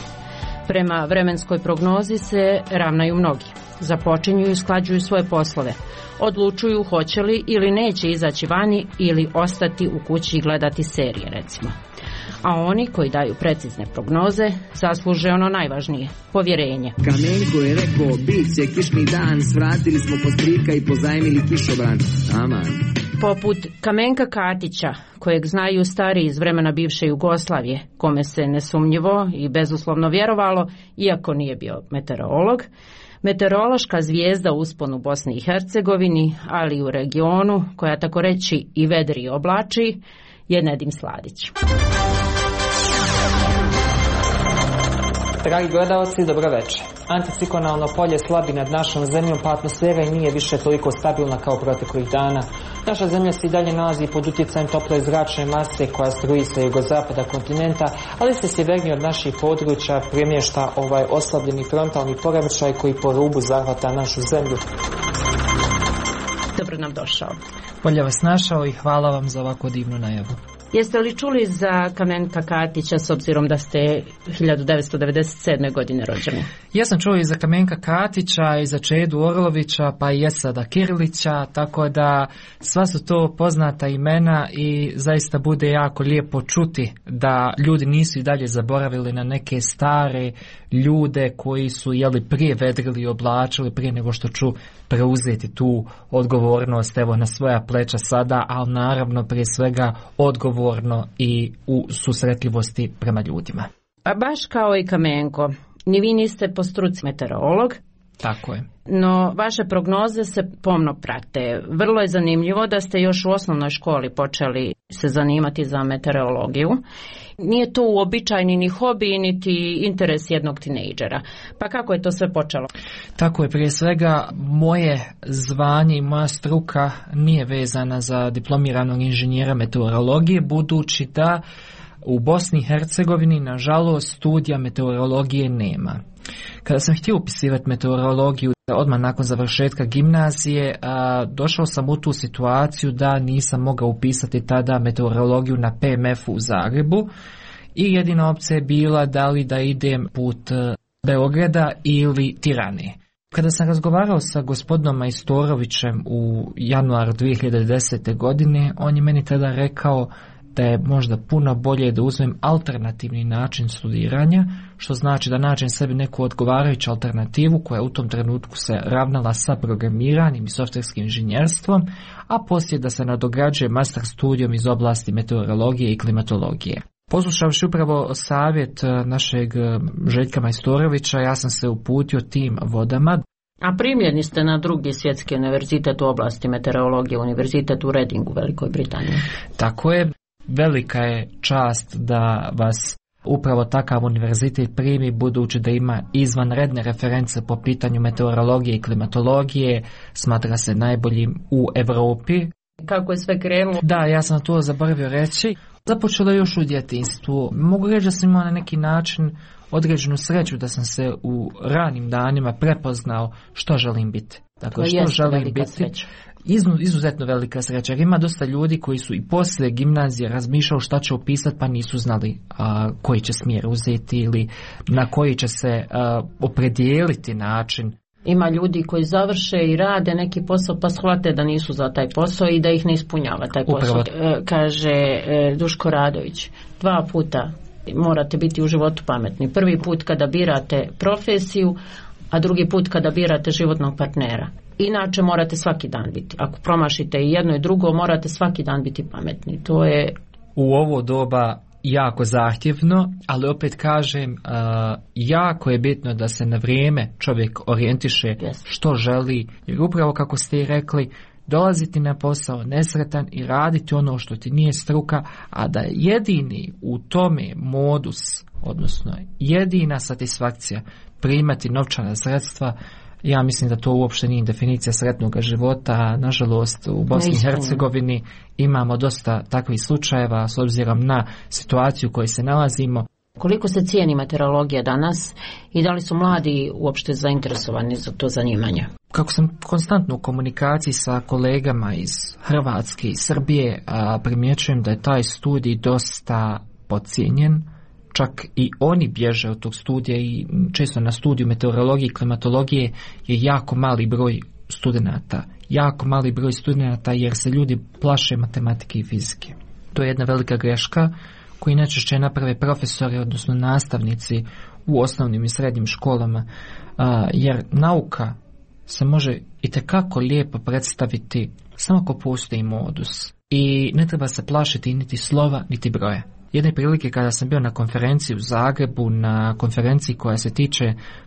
Speaker 2: Prema vremenskoj prognozi se ravnaju mnogi. Započinju i usklađuju svoje poslove. Odlučuju hoće li ili neće izaći vani ili ostati u kući i gledati serije, recimo. A oni koji daju precizne prognoze zasluže ono najvažnije, povjerenje.
Speaker 22: Kamenko je rekao, bit će kišni dan, svratili smo postrika i pozajmili kišobran. Aman.
Speaker 2: Poput Kamenka Katića, kojeg znaju stari iz vremena bivše Jugoslavije, kome se nesumnjivo i bezuslovno vjerovalo, iako nije bio meteorolog, meteorološka zvijezda u usponu u Bosni i Hercegovini, ali i u regionu, koja tako reći i vedri i oblači, je Nedim Sladić.
Speaker 23: Dragi gledalci, dobro večer. Anticiklonalno polje slabi nad našom zemljom, pa atmosfera i nije više toliko stabilna kao proteklih dana. Naša zemlja se i dalje nalazi pod utjecajem tople zračne mase koja struji sa jugozapada kontinenta, ali se sjevernije od naših područja premješta ovaj oslabljeni frontalni poremećaj koji po rubu zahvata našu zemlju.
Speaker 2: Dobro nam došao.
Speaker 23: Bolje vas našao i hvala vam za ovako divnu najavu.
Speaker 2: Jeste li čuli za Kamenka Katića s obzirom da ste hiljadu devetsto devedeset sedme. godine rođeni?
Speaker 23: Ja sam čuo i za Kamenka Katića i za Čedu Orlovića pa i Esada Kirilića, tako da sva su to poznata imena i zaista bude jako lijepo čuti da ljudi nisu i dalje zaboravili na neke stare ljude koji su jeli prije vedrili i oblačili prije nego što ću preuzeti tu odgovornost evo na svoja pleća sada, ali naravno prije svega odgovorno i u susretljivosti prema ljudima.
Speaker 2: A baš kao i Kamenko, ni vi niste po struci meteorolog.
Speaker 23: Tako je.
Speaker 2: No, vaše prognoze se pomno prate. Vrlo je zanimljivo da ste još u osnovnoj školi počeli se zanimati za meteorologiju. Nije to uobičajeni ni hobi, niti interes jednog tinejdžera. Pa kako je to sve počelo?
Speaker 23: Tako je, prije svega moje zvanje i moja struka nije vezana za diplomiranog inženjera meteorologije, budući da u Bosni i Hercegovini, nažalost, studija meteorologije nema. Kada sam htio upisivati meteorologiju odmah nakon završetka gimnazije, a, došao sam u tu situaciju da nisam mogao upisati tada meteorologiju na P M F-u u Zagrebu i jedina opcija je bila da li da idem put Beograda ili Tirane. Kada sam razgovarao sa gospodinom Majstorovićem u januaru dvije hiljade desete. godine, on je meni tada rekao da je možda puno bolje da uzmem alternativni način studiranja, što znači da nađem sebi neku odgovarajuću alternativu koja u tom trenutku se ravnala sa programiranjem i softverskim inženjerstvom, a poslije da se nadograđuje master studijom iz oblasti meteorologije i klimatologije. Poslušavši upravo savjet našeg Željka Majstorovića, ja sam se uputio tim vodama.
Speaker 2: A primljeni ste na drugi svjetski univerzitet u oblasti meteorologije, univerzitet u Readingu u Velikoj Britaniji.
Speaker 23: Tako je. Velika je čast da vas upravo takav univerzitet primi, budući da ima izvanredne reference po pitanju meteorologije i klimatologije, smatra se najboljim u Europi.
Speaker 2: Kako je sve krenulo?
Speaker 23: Da, ja sam to zaboravio reći. Započelo još u djetinjstvu. Mogu reći da sam imao na neki način određenu sreću da sam se u ranim danima prepoznao što želim biti. Dakle, što želim biti. Iznu, izuzetno velika sreća. Jer ima dosta ljudi koji su i poslije gimnazije razmišljali šta će upisati pa nisu znali a, koji će smjer uzeti ili na koji će se a, opredijeliti način.
Speaker 2: Ima ljudi koji završe i rade neki posao pa shvate da nisu za taj posao i da ih ne ispunjava taj posao. Upravo. Kaže Duško Radović, dva puta morate biti u životu pametni. Prvi put kada birate profesiju, a drugi put kada birate životnog partnera. Inače morate svaki dan biti. Ako promašite i jedno i drugo, morate svaki dan biti pametni. To je
Speaker 23: u ovo doba jako zahtjevno, ali opet kažem, uh, jako je bitno da se na vrijeme čovjek orijentiše yes. što želi, jer upravo kako ste i rekli, dolaziti na posao nesretan i raditi ono što ti nije struka, a da jedini u tome modus, odnosno jedina satisfakcija primati novčana sredstva, ja mislim da to uopšte nije definicija sretnog života. Nažalost, u Bosni i Hercegovini imamo dosta takvih slučajeva s obzirom na situaciju u kojoj se nalazimo.
Speaker 2: Koliko se cijeni meteorologija danas i da li su mladi uopšte zainteresovani za to zanimanje?
Speaker 23: Kako sam konstantno u komunikaciji sa kolegama iz Hrvatske i Srbije, a primjećujem da je taj studij dosta podcijenjen. Čak i oni bježe od tog studija i često na studiju meteorologije i klimatologije je jako mali broj studenata. Jako mali broj studenata jer se ljudi plaše matematike i fizike. To je jedna velika greška koju najčešće naprave profesori, odnosno nastavnici u osnovnim i srednjim školama, jer nauka se može itekako lijepo predstaviti samo ako postoji modus. I ne treba se plašiti niti slova, niti broja. Jedne prilike kada sam bio na konferenciji u Zagrebu, na konferenciji koja se tiče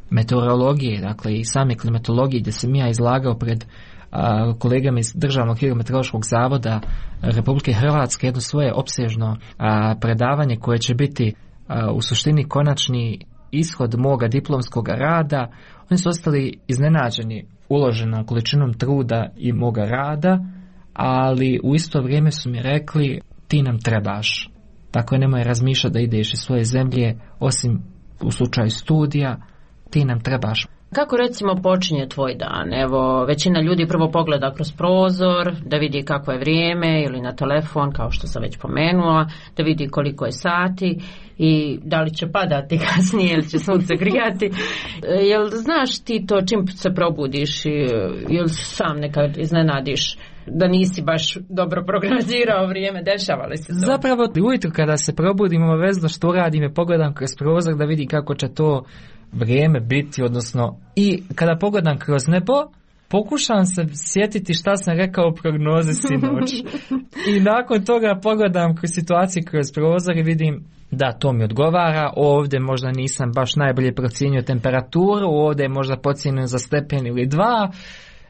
Speaker 23: meteorologije, dakle i same klimatologije, gdje sam ja izlagao pred a, kolegama iz Državnog hidrometeorološkog zavoda Republike Hrvatske jedno svoje opsežno a, predavanje koje će biti a, u suštini konačni ishod moga diplomskog rada. Oni su ostali iznenađeni uloženom količinom truda i moga rada, ali u isto vrijeme su mi rekli ti nam trebaš. Tako je, nemoj razmišljati da ideš iz svoje zemlje, osim u slučaju studija, ti nam trebaš.
Speaker 2: Kako recimo počinje tvoj dan? Evo, većina ljudi prvo pogleda kroz prozor, da vidi kako je vrijeme, ili na telefon, kao što sam već pomenula, da vidi koliko je sati i da li će padati kasnije ili će sunce grijati. Jel znaš ti to čim se probudiš, jel sam nekad iznenadiš da nisi baš dobro programirao vrijeme, dešava li se to?
Speaker 23: Zapravo, ujutro kada se probudim, obavezno što radim je pogledam kroz prozor da vidi kako će to vrijeme biti, odnosno i kada pogledam kroz nebo, pokušam se sjetiti šta sam rekao u prognozi sinoć. I nakon toga pogledam kroz situaciju kroz prozor i vidim da to mi odgovara, ovdje možda nisam baš najbolje procijenio temperaturu, ovdje je možda pocijenio za stepen ili dva.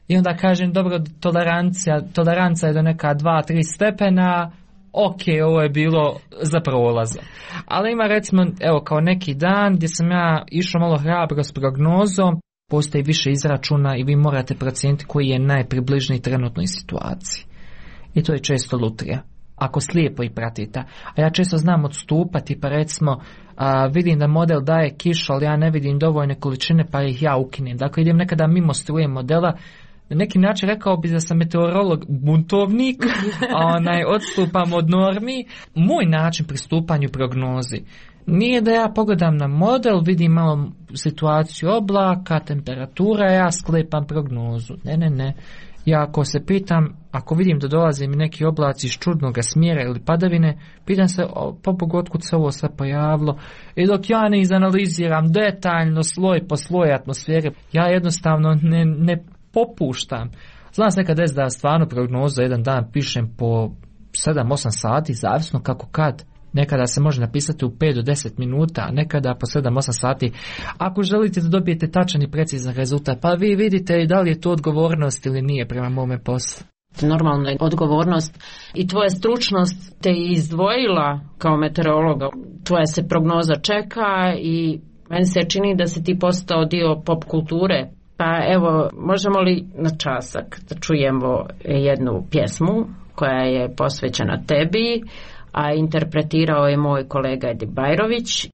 Speaker 23: I onda kažem, dobro, tolerancija, tolerancija je do neka dva, tri stepena, ok, ovo je bilo za prolaza. Ali ima recimo, evo, kao neki dan gdje sam ja išao malo hrabro s prognozom, postoji više izračuna i vi morate procijeniti koji je najpribližniji trenutnoj situaciji. I to je često lutrija, ako slijepo i pratite. A ja često znam odstupati, pa recimo a, vidim da model daje kišu, ali ja ne vidim dovoljne količine, pa ih ja ukinem. Dakle, idem nekada mimo struje modela. Na neki način rekao bi da sam meteorolog buntovnik, a onaj odstupam od normi. Moj način pristupanju prognozi nije da ja pogledam na model, vidim malo situaciju oblaka, temperatura, ja sklepam prognozu. Ne, ne, ne. Ja ako se pitam, ako vidim da dolaze mi neki oblaci iz čudnog smjera ili padavine, pitam se, po otkud se ovo sve pojavilo. I dok ja ne izanaliziram detaljno sloj po sloj atmosfere, ja jednostavno ne, ne popuštam. Znam se nekad des da stvarno prognozu jedan dan pišem po sedam osam sati, zavisno kako kad. Nekada se može napisati u pet do deset minuta, a nekada po sedam osam sati. Ako želite da dobijete tačan i precizan rezultat, pa vi vidite da li je to odgovornost ili nije prema mome poslu.
Speaker 2: Normalno je odgovornost i tvoja stručnost te izdvojila kao meteorologa. Tvoja se prognoza čeka i meni se čini da si ti postao dio pop kulture. Pa evo, možemo li na časak da čujemo jednu pjesmu koja je posvećena tebi, a interpretirao je moj kolega Edi Bajrović. E,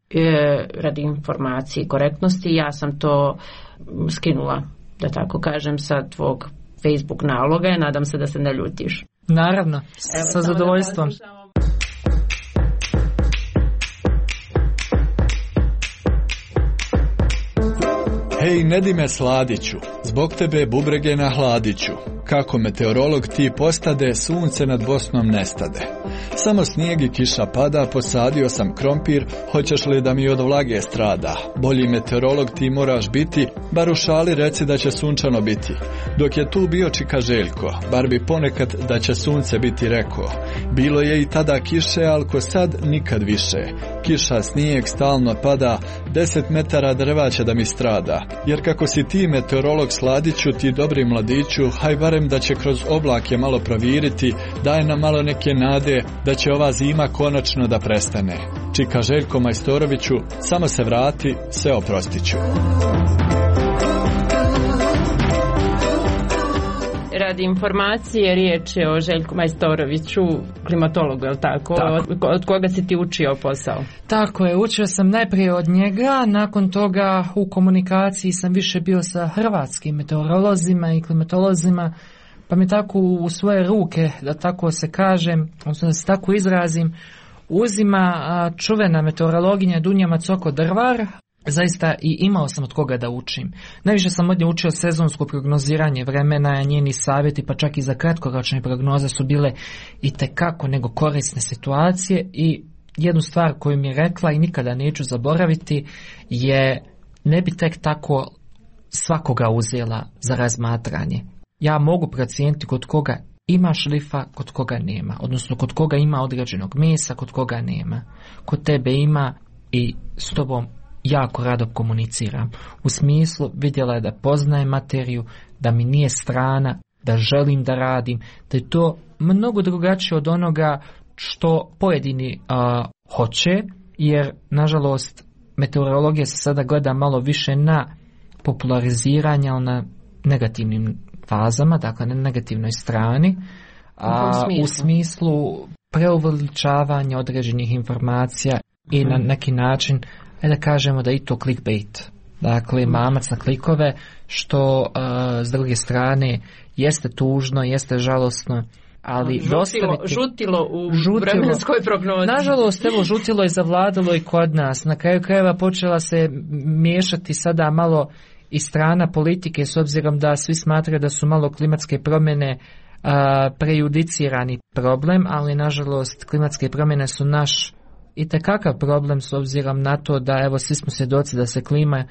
Speaker 2: radi informacije i korektnosti, ja sam to skinula, da tako kažem, sa tvog Facebook naloga. Nadam se da se ne ljutiš.
Speaker 23: Naravno, evo, sa zadovoljstvom.
Speaker 14: Hej, Nedime Sladiću, zbog tebe bubrege na hladiću. Kako meteorolog ti postade, sunce nad Bosnom nestade. Samo snijeg i kiša pada, posadio sam krompir, hoćeš li da mi od vlage strada? Bolji meteorolog ti moraš biti, bar u šali reci da će sunčano biti. Dok je tu bio Čika Željko, bar bi ponekad da će sunce biti rekao. Bilo je i tada kiše, al ko sad nikad više. Kiša, snijeg stalno pada, deset metara drva će da mi strada. Jer kako si ti meteorolog Sladiću, ti dobri mladiću, haj barem da će kroz oblake malo proviriti, daj nam malo neke nade da će ova zima konačno da prestane. Čika Željko Majstoroviću, samo se vrati, sve oprostiću.
Speaker 2: Radi informacije, riječ je o Željku Majstoroviću, klimatologu, je li tako? tako? Od koga si ti učio posao?
Speaker 23: Tako je, učio sam najprije od njega, nakon toga u komunikaciji sam više bio sa hrvatskim meteorolozima i klimatolozima, pa mi tako u svoje ruke, da tako se kažem, odnosno da se tako izrazim, uzima čuvena meteorologinja Dunja Macoko-Drvar. Zaista i imao sam od koga da učim. Najviše sam od nje učio sezonsko prognoziranje vremena, njeni savjeti pa čak i za kratkoročne prognoze su bile i tekako nego korisne situacije. I jednu stvar koju mi je rekla i nikada neću zaboraviti je: ne bi tek tako svakoga uzela za razmatranje. Ja mogu procijeniti kod koga ima šlifa, kod koga nema, odnosno kod koga ima određenog mesa, kod koga nema. Kod tebe ima i s tobom jako rado komuniciram. U smislu, vidjela je da poznajem materiju, da mi nije strana, da želim da radim, da je to mnogo drugačije od onoga što pojedini uh, hoće, jer nažalost meteorologija se sada gleda malo više na populariziranje, ali na negativnim fazama, dakle na negativnoj strani, a, u, smislu. u smislu preuveličavanja određenih informacija mm-hmm. i na neki način da kažemo da i to clickbait, dakle mamac na klikove, što uh, s druge strane jeste tužno, jeste žalosno, ali
Speaker 2: žutilo,
Speaker 23: dostaviti...
Speaker 2: žutilo u žutilo. vremenskoj prognozi.
Speaker 23: Nažalost, evo, žutilo je zavladalo i kod nas. Na kraju krajeva počela se miješati sada malo i strana politike, s obzirom da svi smatraju da su malo klimatske promjene uh, prejudicirani problem, ali nažalost klimatske promjene su naš i tekakav problem, s obzirom na to da evo svi smo svjedoci da se klima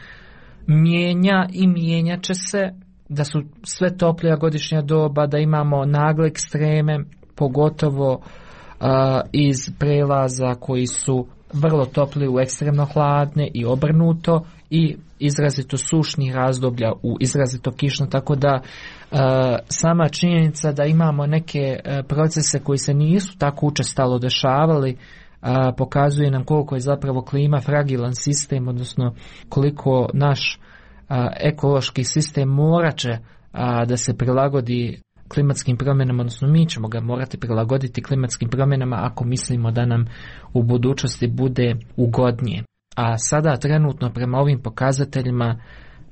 Speaker 23: mijenja i mijenjat će se, da su sve toplija godišnja doba, da imamo nagle ekstreme, pogotovo uh, iz prelaza koji su vrlo topli u ekstremno hladne i obrnuto, i izrazito sušnih razdoblja u izrazito kišno, tako da uh, sama činjenica da imamo neke uh, procese koji se nisu tako učestalo dešavali A, pokazuje nam koliko je zapravo klima fragilan sistem, odnosno koliko naš a, ekološki sistem morat će a, da se prilagodi klimatskim promjenama, odnosno mi ćemo ga morati prilagoditi klimatskim promjenama ako mislimo da nam u budućnosti bude ugodnije. A sada trenutno prema ovim pokazateljima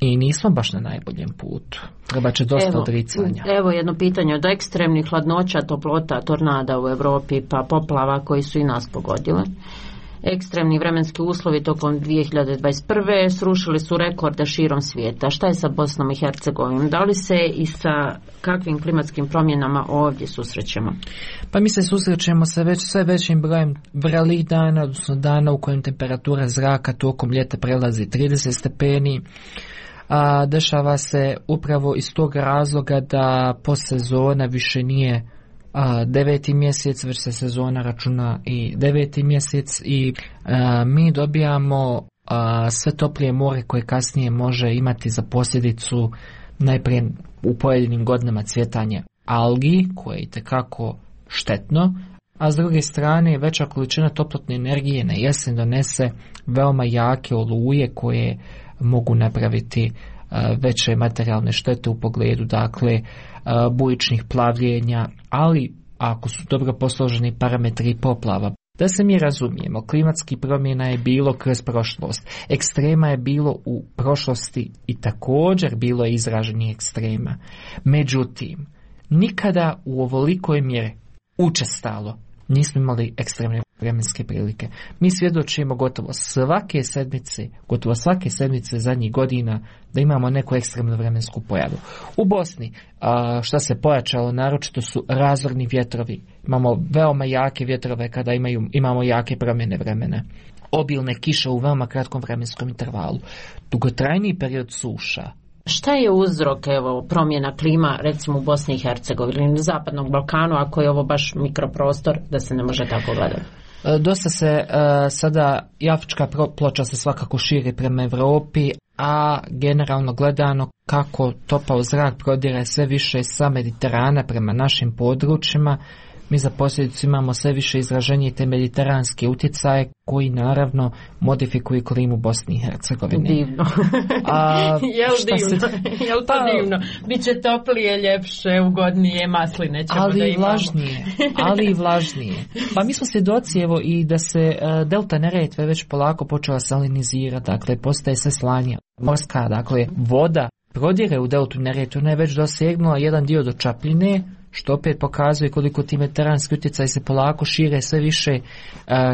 Speaker 23: i nismo baš na najboljem putu. Treba će dosta evo, odricanja.
Speaker 2: Evo jedno pitanje: od ekstremnih hladnoća, toplota, tornada u Europi pa poplava koji su i nas pogodile. Ekstremni vremenski uslovi tokom dvije hiljade dvadeset prve srušili su rekorde širom svijeta. Šta je sa Bosnom i Hercegovinom? Da li se i sa kakvim klimatskim promjenama ovdje susrećemo?
Speaker 23: Pa mi se susrećemo sa već sve većim brojem vrelih dana, odnosno dana u kojem temperatura zraka tokom ljeta prelazi trideset stepeni. A dešava se upravo iz tog razloga da postsezona više nije a, deveti mjesec, već se sezona računa i deveti mjesec i a, mi dobijamo a, sve toplije more koje kasnije može imati za posljedicu najprije u pojedinim godinama cvjetanje algi, koje je itekako štetno, a s druge strane veća količina toplotne energije na jesen donese veoma jake oluje koje mogu napraviti veće materijalne štete u pogledu, dakle, bujičnih plavljenja, ali ako su dobro posloženi parametri i poplava. Da se mi razumijemo, klimatskih promjena je bilo kroz prošlost, ekstrema je bilo u prošlosti i također bilo je izraženih ekstrema. Međutim, nikada u ovolikoj mjeri učestalo nismo imali ekstremne vremenske prilike. Mi svjedočimo gotovo svake sedmice, gotovo svake sedmice zadnjih godina da imamo neku ekstremnu vremensku pojavu. U Bosni, a, šta se pojačalo, naročito su razorni vjetrovi. Imamo veoma jake vjetrove kada imaju, imamo jake promjene vremena. Obilne kiše u veoma kratkom vremenskom intervalu. Dugotrajniji period suša.
Speaker 2: Šta je uzrok, evo, promjena klima, recimo u Bosni i Hercegovini, na Zapadnom Balkanu, ako je ovo baš mikroprostor, da se ne može tako gledati?
Speaker 23: Dosta se uh, sada i afrička ploča se svakako širi prema Europi, a generalno gledano kako topao zrak prodire sve više sa Mediterana prema našim područjima, mi za posljedicu imamo sve više izraženije te mediteranske utjecaje koji naravno modifikuju klimu Bosni i Hercegovine.
Speaker 2: Divno.
Speaker 23: A,
Speaker 2: Jel divno? Se... Jel to pa, divno? Biće toplije, ljepše, ugodnije, masline ćemo
Speaker 23: ali
Speaker 2: da imamo.
Speaker 23: Vlažnije, ali i vlažnije. Pa mi smo svjedoci evo i da se uh, delta Neretve već polako počela salinizirati, dakle postaje sve slanja. Morska, dakle voda prodire u deltu Neretve, ona je već dosegnula jedan dio do Čapljine, što opet pokazuje koliko ti mediteranski utjecaj se polako šire sve više uh,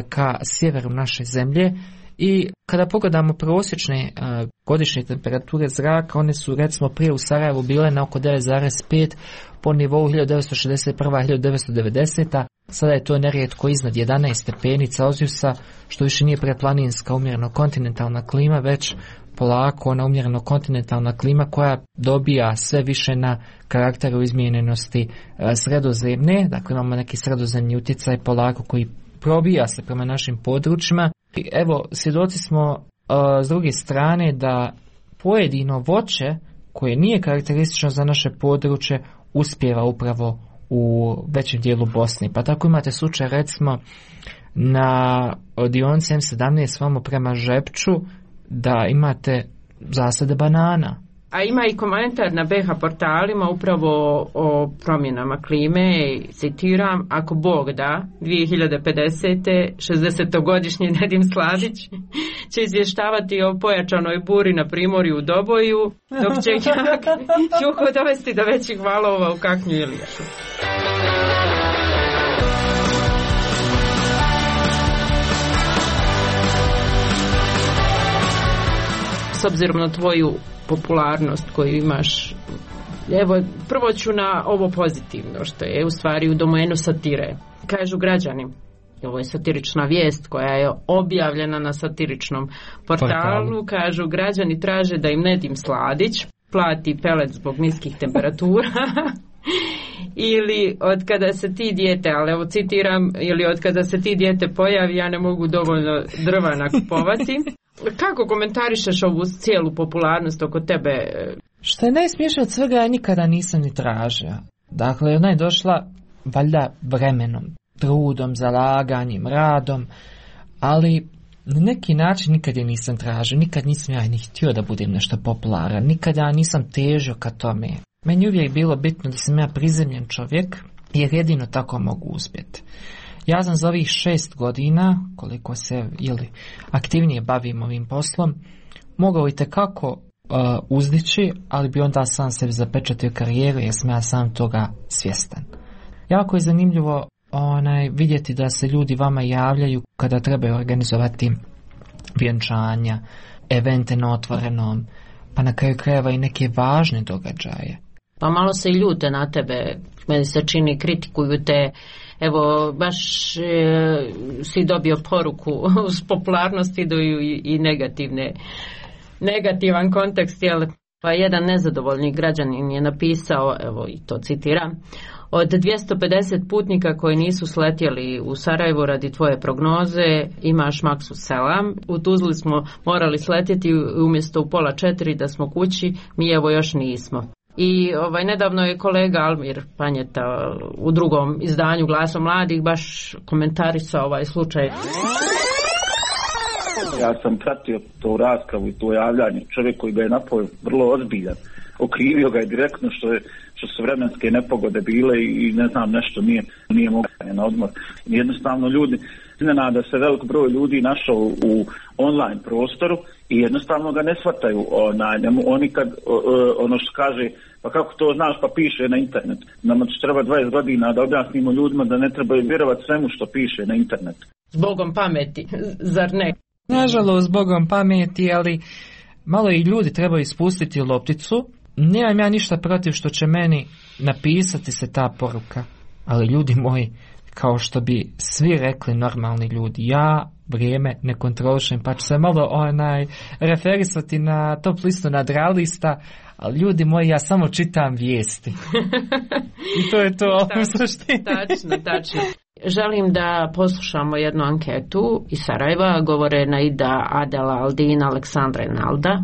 Speaker 23: ka sjeveru naše zemlje. I kada pogledamo prosječne uh, godišnje temperature zraka, one su recimo prije u Sarajevu bile na oko devet zarez pet po nivou hiljadu devetsto šezdeset prva do hiljadu devetsto devedeseta. Sada je to nerijetko iznad jedanaest stepeni Celzijusa, što više nije preplaninska umjereno kontinentalna klima, već polako ona umjereno kontinentalna klima koja dobija sve više na karakteru izmijenjenosti e, sredozemne. Dakle, imamo neki sredozemni utjecaj polako koji probija se prema našim područjima. I evo, svjedoci smo e, s druge strane da pojedino voće koje nije karakteristično za naše područje uspijeva upravo u većem dijelu Bosne. Pa tako imate slučaj recimo na dionici M sedamnaest vamo prema Žepču da imate zasade banana.
Speaker 2: A ima i komentar na B H portalima upravo o promjenama klime, citiram, ako Bog da, dvije hiljade pedesete šezdesetogodišnji Nedim Sladić će izvještavati o pojačanoj buri na primorju u Doboju, dok će juho dovesti do većih valova u Kaknju i Liješu. S obzirom na tvoju popularnost koju imaš, evo, prvo ću na ovo pozitivno, što je u stvari u domenu satire. Kažu građani, ovo je satirična vijest koja je objavljena na satiričnom portalu, kažu građani traže da im Nedim Sladić plati pelet zbog niskih temperatura ili od kada se ti dijete, ali evo citiram, ili od kada se ti dijete pojavi ja ne mogu dovoljno drva nakupovati. Kako komentarišeš ovu cijelu popularnost oko tebe?
Speaker 23: Što je najsmiješnije od svega, ja nikada nisam ni tražio. Dakle, ona je došla valjda vremenom, trudom, zalaganjem, radom, ali na neki način nikad je nisam tražio, nikad nisam ja ni htio da budem nešto popularan, nikad ja nisam težio ka tome. Meni uvijek bilo bitno da sam ja prizemljen čovjek, jer jedino tako mogu uspjeti. Ja sam za ovih šest godina, koliko se ili aktivnije bavim ovim poslom, mogao i tekako uh, uzdići, ali bi onda sam sebi zapečatio karijeru jer sam ja sam toga svjestan. Jako je zanimljivo onaj, vidjeti da se ljudi vama javljaju kada trebaju organizovati vjenčanja, evente na otvorenom, pa na kraju krajeva i neke važne događaje.
Speaker 2: Pa malo se i ljute na tebe, meni se čini, kritikuju te. Evo, baš e, si dobio poruku s popularnosti idu i, i negativne, negativan kontekst, jel? Pa jedan nezadovoljni građanin je napisao, evo i to citiram, od dvjesto pedeset putnika koji nisu sletjeli u Sarajevo radi tvoje prognoze, imaš maksu selam. U Tuzli smo morali sletjeti umjesto u pola četiri da smo kući, mi evo još nismo. I ovaj, nedavno je kolega Almir Panjeta u drugom izdanju Glasom mladih baš komentarisao ovaj slučaj.
Speaker 7: Ja sam pratio to raspravu i to javljanje. Čovjek koji ga je napao vrlo ozbiljan. Okrivio ga je direktno što je što su vremenske nepogode bile i ne znam nešto nije, nije mogao na odmor. Jednostavno ljudi, iznenada se velik broj ljudi našao u online prostoru i jednostavno ga ne shvataju. Ona, oni kad ono što kaže, pa kako to znaš, pa piše na internet. Nama će treba dvadeset godina da objasnimo ljudima da ne trebaju vjerovati svemu što piše na internetu.
Speaker 2: Zbogom pameti, zar ne?
Speaker 23: Nažalost, zbogom pameti, ali malo i ljudi trebaju ispustiti lopticu. Nemam ja ništa protiv što će meni napisati se ta poruka, ali ljudi moji, kao što bi svi rekli normalni ljudi, ja vrijeme ne kontrolišem, pa ću se malo onaj referisati na top listu nadralista, ali ljudi moji, ja samo čitam vijesti. I to je to u suštini.
Speaker 2: Tačno, tačno. Želim da poslušamo jednu anketu iz Sarajeva, govore Naida, Adela, Aldina, Aleksandra i Nalda.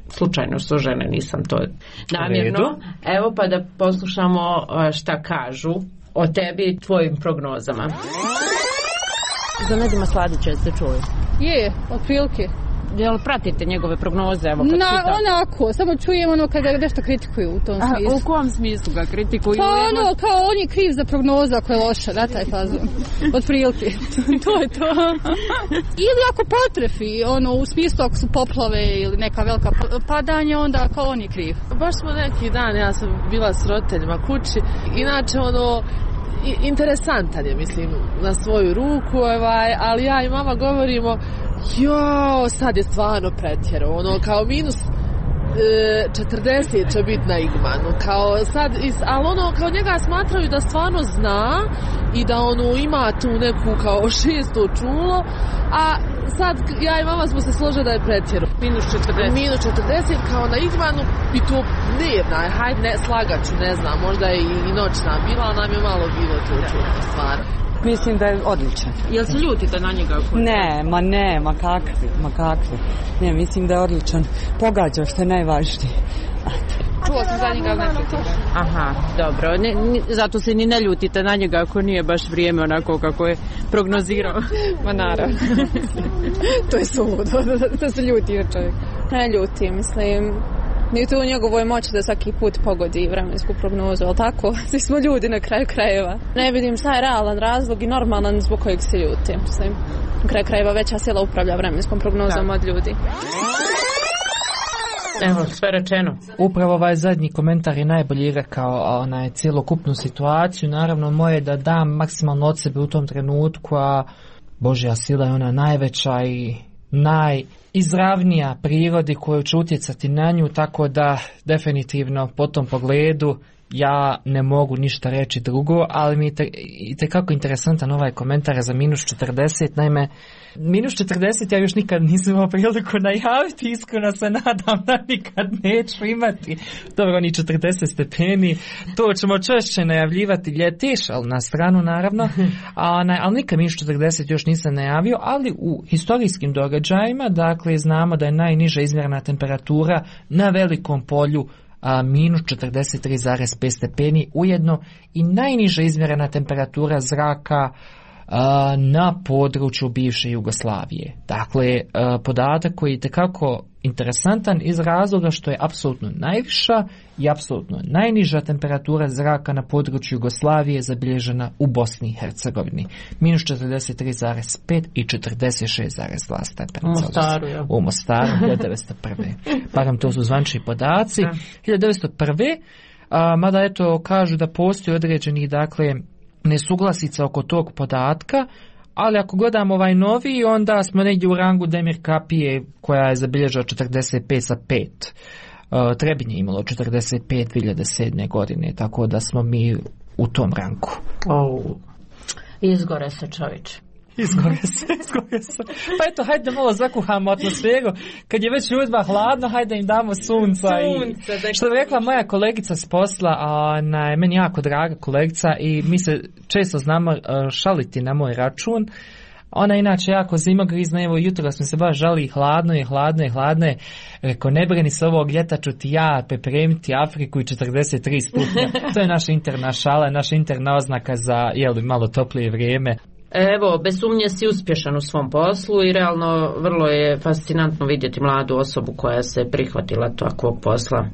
Speaker 2: Slučajno su žene, nisam to namjerno. Evo pa da poslušamo šta kažu o tebi i tvojim prognozama. Za Nedima Sladića ste čuli?
Speaker 8: Je, otprilike.
Speaker 2: Jel pratite njegove prognoze? Evo, kad
Speaker 8: Na,
Speaker 2: čitam.
Speaker 8: onako, samo čujem ono kada nešto kritikuju u tom smislu.
Speaker 2: A, u kom smislu ga kritikuju?
Speaker 8: Pa ono, kao on je kriv za prognozu ako je loša, da, taj fazon. Otprilike, to je to. Ili ako potrefi, ono, u smislu ako su poplave ili neka velika padanja, onda kao on je kriv.
Speaker 9: Baš smo neki dan, ja sam bila s roditeljima kući, inače ono, interesantan je, mislim, na svoju ruku, ovaj, ali ja i mama govorimo, jo, sad je stvarno pretjero, ono, kao minus e, četrdeset će biti na Igmanu, kao sad, ali ono, kao njega smatraju da stvarno zna i da ono ima tu neku kao šesto čulo, a sad ja i mama smo se složili da je pretjero.
Speaker 2: Minus četrdeset.
Speaker 9: Minus četrdeset kao na Igmanu i to dnevna, hajde ne, slagaću, ne znam, možda je i, i noćna bila, ali nam je malo bilo to čudno stvarno.
Speaker 24: Mislim da je odličan.
Speaker 2: Jel se ljutite na njega?
Speaker 24: Ne, ma ne, ma kakvi, ma kakvi. Ne, mislim da je odličan. Pogađa što je najvažnije.
Speaker 2: Čuo sam za njega, ne kritikujem. Aha, dobro. Ne, ne, zato se ni ne ljutite na njega ako nije baš vrijeme onako kako je prognozirao.
Speaker 8: Ma naravno. To je suludo, da se ljuti na čovjek. Ne ljuti, mislim. Nije to u njegovoj moći da svaki put pogodi vremensku prognozu, ali tako? Svi smo ljudi na kraju krajeva. Ne vidim šta je realan razlog i normalan zbog kojeg se ljuti. Mislim, na kraju krajeva veća sila upravlja vremenskom prognozom od ljudi.
Speaker 2: Evo, sve rečeno.
Speaker 23: Upravo ovaj zadnji komentar je najbolji rekao onaj cjelokupnu situaciju. Naravno, moje da dam maksimalno od sebe u tom trenutku, a Božja sila je ona najveća i najizravnija prirodi koju će utjecati na nju, tako da definitivno po tom pogledu ja ne mogu ništa reći drugo, ali mi je itekako interesantan ovaj komentar za minus četrdeset. Naime, minus četrdeset ja još nikad nisam imao priliku najaviti, iskreno se nadam da nikad neću imati. Dobro, oni četrdeset stepeni, to ćemo češće najavljivati ljetiš, ali na stranu naravno, a, na, ali nikad minus četrdeset još nisam najavio, ali u historijskim događajima, dakle, znamo da je najniža izmjerena temperatura na velikom polju a, minus četrdeset tri zarez pet stepeni, ujedno i najniža izmjerena temperatura zraka a, na području bivše Jugoslavije. Dakle, a, podatak koji je itekako interesantan iz razloga što je apsolutno najviša i apsolutno najniža temperatura zraka na području Jugoslavije zabilježena u Bosni i Hercegovini. minus četrdeset tri zarez pet i četrdeset šest zarez dva stepena.
Speaker 2: U Mostaru, ja.
Speaker 23: U Mostaru, hiljadu devetsto prve. Barem to su zvančni podaci. hiljadu devetsto prve. A, mada eto kažu da postoji određenih, dakle, nesuglasica oko tog podatka, ali ako gledamo ovaj novi, onda smo negdje u rangu Demir Kapije koja je zabilježila četrdeset pet za pet. Uh, Trebinje imalo četrdeset pet dvije hiljade sedme godine, tako da smo mi u tom rangu.
Speaker 2: Oh. Izgore se, čovječe.
Speaker 23: Izgore se, izgore se. Pa eto, hajde da malo zakuhamo atmosferu. Kad je već ljudima hladno, hajde im damo sunca.
Speaker 2: Sunce,
Speaker 23: i, što bi rekla moja kolegica s posla, ona je meni jako draga kolegica i mi se često znamo šaliti na moj račun. Ona inače jako zimogrizna, evo jutro smo se baš žali, hladno je, hladno je, hladno je. Reko, ne brini se ovog ljeta, ću ti ja pripremiti Afriku i četrdeset tri stupnja. To je naša interna šala, naša interna oznaka za jel, malo toplije vrijeme.
Speaker 2: Evo, bez sumnje si uspješan u svom poslu i realno vrlo je fascinantno vidjeti mladu osobu koja se prihvatila takvog posla.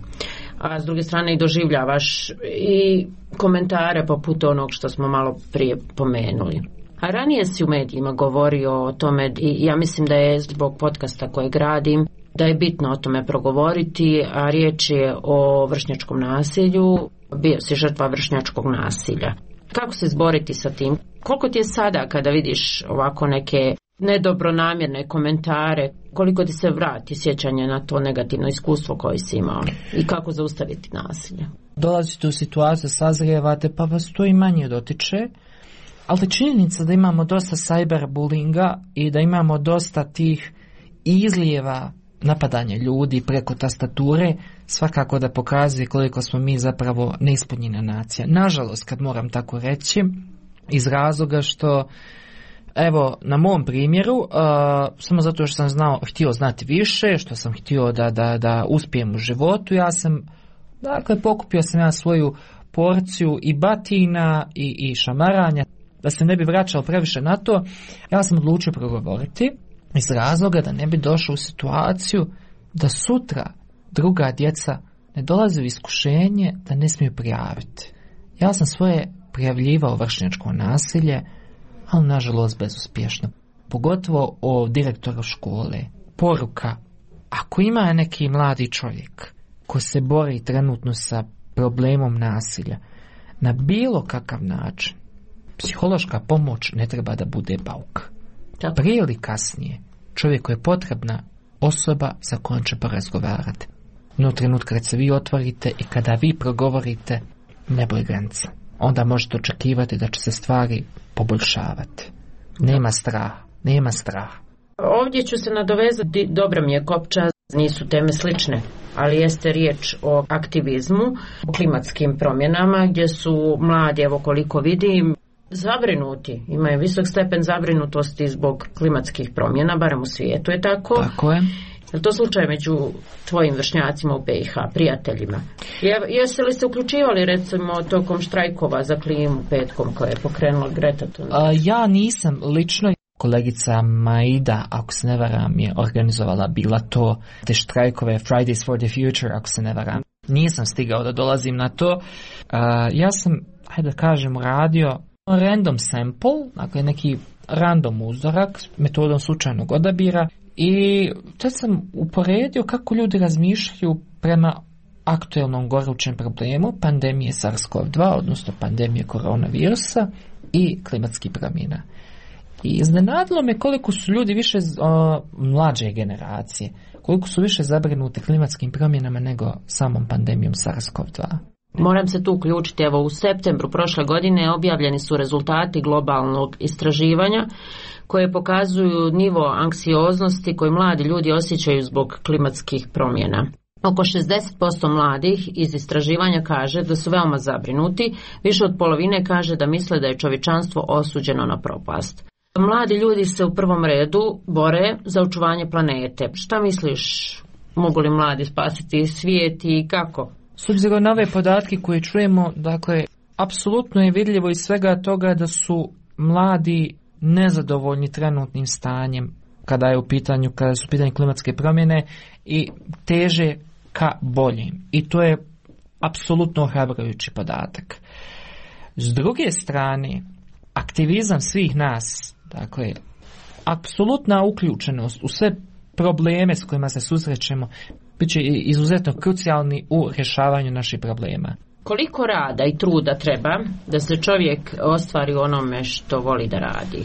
Speaker 2: A s druge strane i doživljavaš i komentare poput onog što smo malo prije pomenuli. A ranije si u medijima govorio o tome i ja mislim da je zbog podcasta koje gradim da je bitno o tome progovoriti, a riječ je o vršnjačkom nasilju, bio si žrtva vršnjačkog nasilja. Kako se izboriti sa tim? Koliko ti je sada kada vidiš ovako neke nedobronamjerne komentare, koliko ti se vrati sjećanje na to negativno iskustvo koje si imao i kako zaustaviti nasilje?
Speaker 23: Dolazite u situaciju, sazrijevate, pa vas to i manje dotiče, ali činjenica da imamo dosta cyberbullinga i da imamo dosta tih izlijeva napadanja ljudi preko tastature, svakako da pokazuje koliko smo mi zapravo neispunjena nacija. Nažalost, kad moram tako reći, iz razloga što evo, na mom primjeru, uh, samo zato što sam znao, htio znati više, što sam htio da, da, da uspijem u životu, ja sam, dakle, pokupio sam ja svoju porciju i batina i, i šamaranja, da se ne bi vraćao previše na to, ja sam odlučio progovoriti iz razloga da ne bi došao u situaciju da sutra druga djeca ne dolaze u iskušenje da ne smiju prijaviti. Ja sam svoje prijavljivao vršnjačko nasilje, ali nažalost bezuspješno. Pogotovo o direktoru škole. Poruka, ako ima neki mladi čovjek ko se bori trenutno sa problemom nasilja, na bilo kakav način, psihološka pomoć ne treba da bude bauk. Prije ili kasnije, čovjeku je potrebna osoba sa kojom će porazgovarati. No trenutka kad se vi otvorite i kada vi progovorite, ne boji granica. Onda možete očekivati da će se stvari poboljšavati. Nema straha, nema straha.
Speaker 2: Ovdje ću se nadovezati, dobro mi je kopča, nisu teme slične, ali jeste riječ o aktivizmu, o klimatskim promjenama, gdje su mladi, evo koliko vidim, zabrinuti, imaju visok stepen zabrinutosti zbog klimatskih promjena, barem u svijetu je tako.
Speaker 23: Tako je.
Speaker 2: Je li to slučaj među tvojim vršnjacima u B i H, prijateljima? Je, jeste li se uključivali recimo tokom štrajkova za klimu petkom koje je pokrenula Greta Thunberg?
Speaker 23: A, ja nisam lično. Kolegica Maida, ako se ne varam, je organizovala bila to, te štrajkove Fridays for the Future, ako se ne varam. Nisam stigao da dolazim na to. A, ja sam, hajde da kažem, radio random sample, dakle neki random uzorak metodom slučajnog odabira i tad sam uporedio kako ljudi razmišljaju prema aktuelnom gorućem problemu pandemije SARS-CoV dva, odnosno pandemije koronavirusa i klimatskih promjena. I iznenadilo me koliko su ljudi više o, mlađe generacije, koliko su više zabrinuti klimatskim promjenama nego samom pandemijom SARS-CoV dva.
Speaker 2: Moram se tu uključiti, evo u septembru prošle godine objavljeni su rezultati globalnog istraživanja koje pokazuju nivo anksioznosti koji mladi ljudi osjećaju zbog klimatskih promjena. Oko šezdeset posto mladih iz istraživanja kaže da su veoma zabrinuti, više od polovine kaže da misle da je čovječanstvo osuđeno na propast. Mladi ljudi se u prvom redu bore za očuvanje planete. Šta misliš, mogu li mladi spasiti svijet i kako?
Speaker 23: S obzirom na ove podatke koje čujemo, dakle, apsolutno je vidljivo iz svega toga da su mladi nezadovoljni trenutnim stanjem kada je u pitanju, kada su u pitanju klimatske promjene i teže ka boljim. I to je apsolutno ohrabrujući podatak. S druge strane, aktivizam svih nas, dakle, apsolutna uključenost u sve probleme s kojima se susrećemo, bit će izuzetno krucijalni u rješavanju naših problema.
Speaker 2: Koliko rada i truda treba da se čovjek ostvari onome što voli da radi?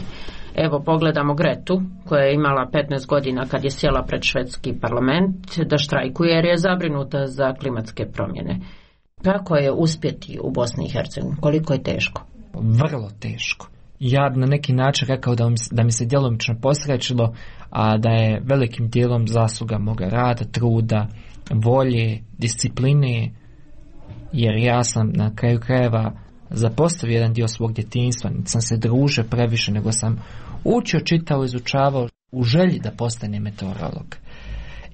Speaker 2: Evo, pogledamo Gretu, koja je imala petnaest godina kad je sjela pred švedski parlament da štrajkuje jer je zabrinuta za klimatske promjene. Kako je uspjeti u Bosni i Hercegovini? Koliko je teško?
Speaker 23: Vrlo teško. Ja na neki način rekao da mi, da mi se djelomično posrećilo, a da je velikim dijelom zasluga moga rada, truda, volje, discipline, jer ja sam na kraju krajeva zapostavio jedan dio svog djetinjstva, niti sam se družio previše, nego sam učio, čitao, izučavao u želji da postane meteorolog.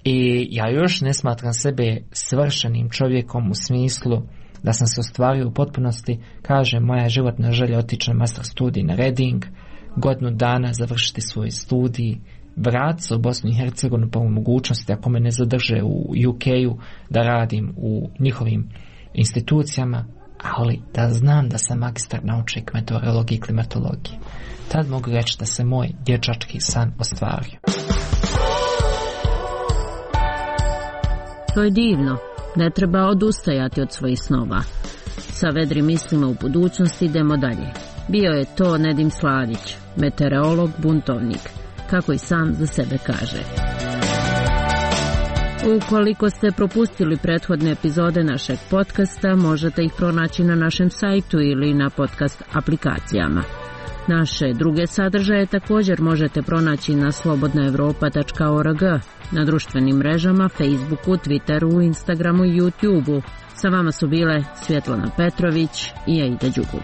Speaker 23: I ja još ne smatram sebe svršenim čovjekom u smislu da sam se ostvario u potpunosti. Kaže, moja životna želja otići na master studij na Reading, godinu dana završiti svoj studij, vratiti se u Bosnu i Hercegovinu po mogućnosti, ako me ne zadrže u U K-u, da radim u njihovim institucijama, ali da znam da sam magistar naučnik meteorologije i klimatologije. Tad mogu reći da se moj dječački san ostvario.
Speaker 3: To je divno. Ne treba odustajati od svojih snova. Sa vedrim mislima u budućnosti idemo dalje. Bio je to Nedim Sladić, meteorolog, buntovnik, kako i sam za sebe kaže. Ukoliko ste propustili prethodne epizode našeg podcasta, možete ih pronaći na našem sajtu ili na podcast aplikacijama. Naše druge sadržaje također možete pronaći na slobodna evropa tačka org, na društvenim mrežama, Facebooku, Twitteru, Instagramu i YouTubeu. Sa vama su bile Svjetlana Petrović i Aida Đugum.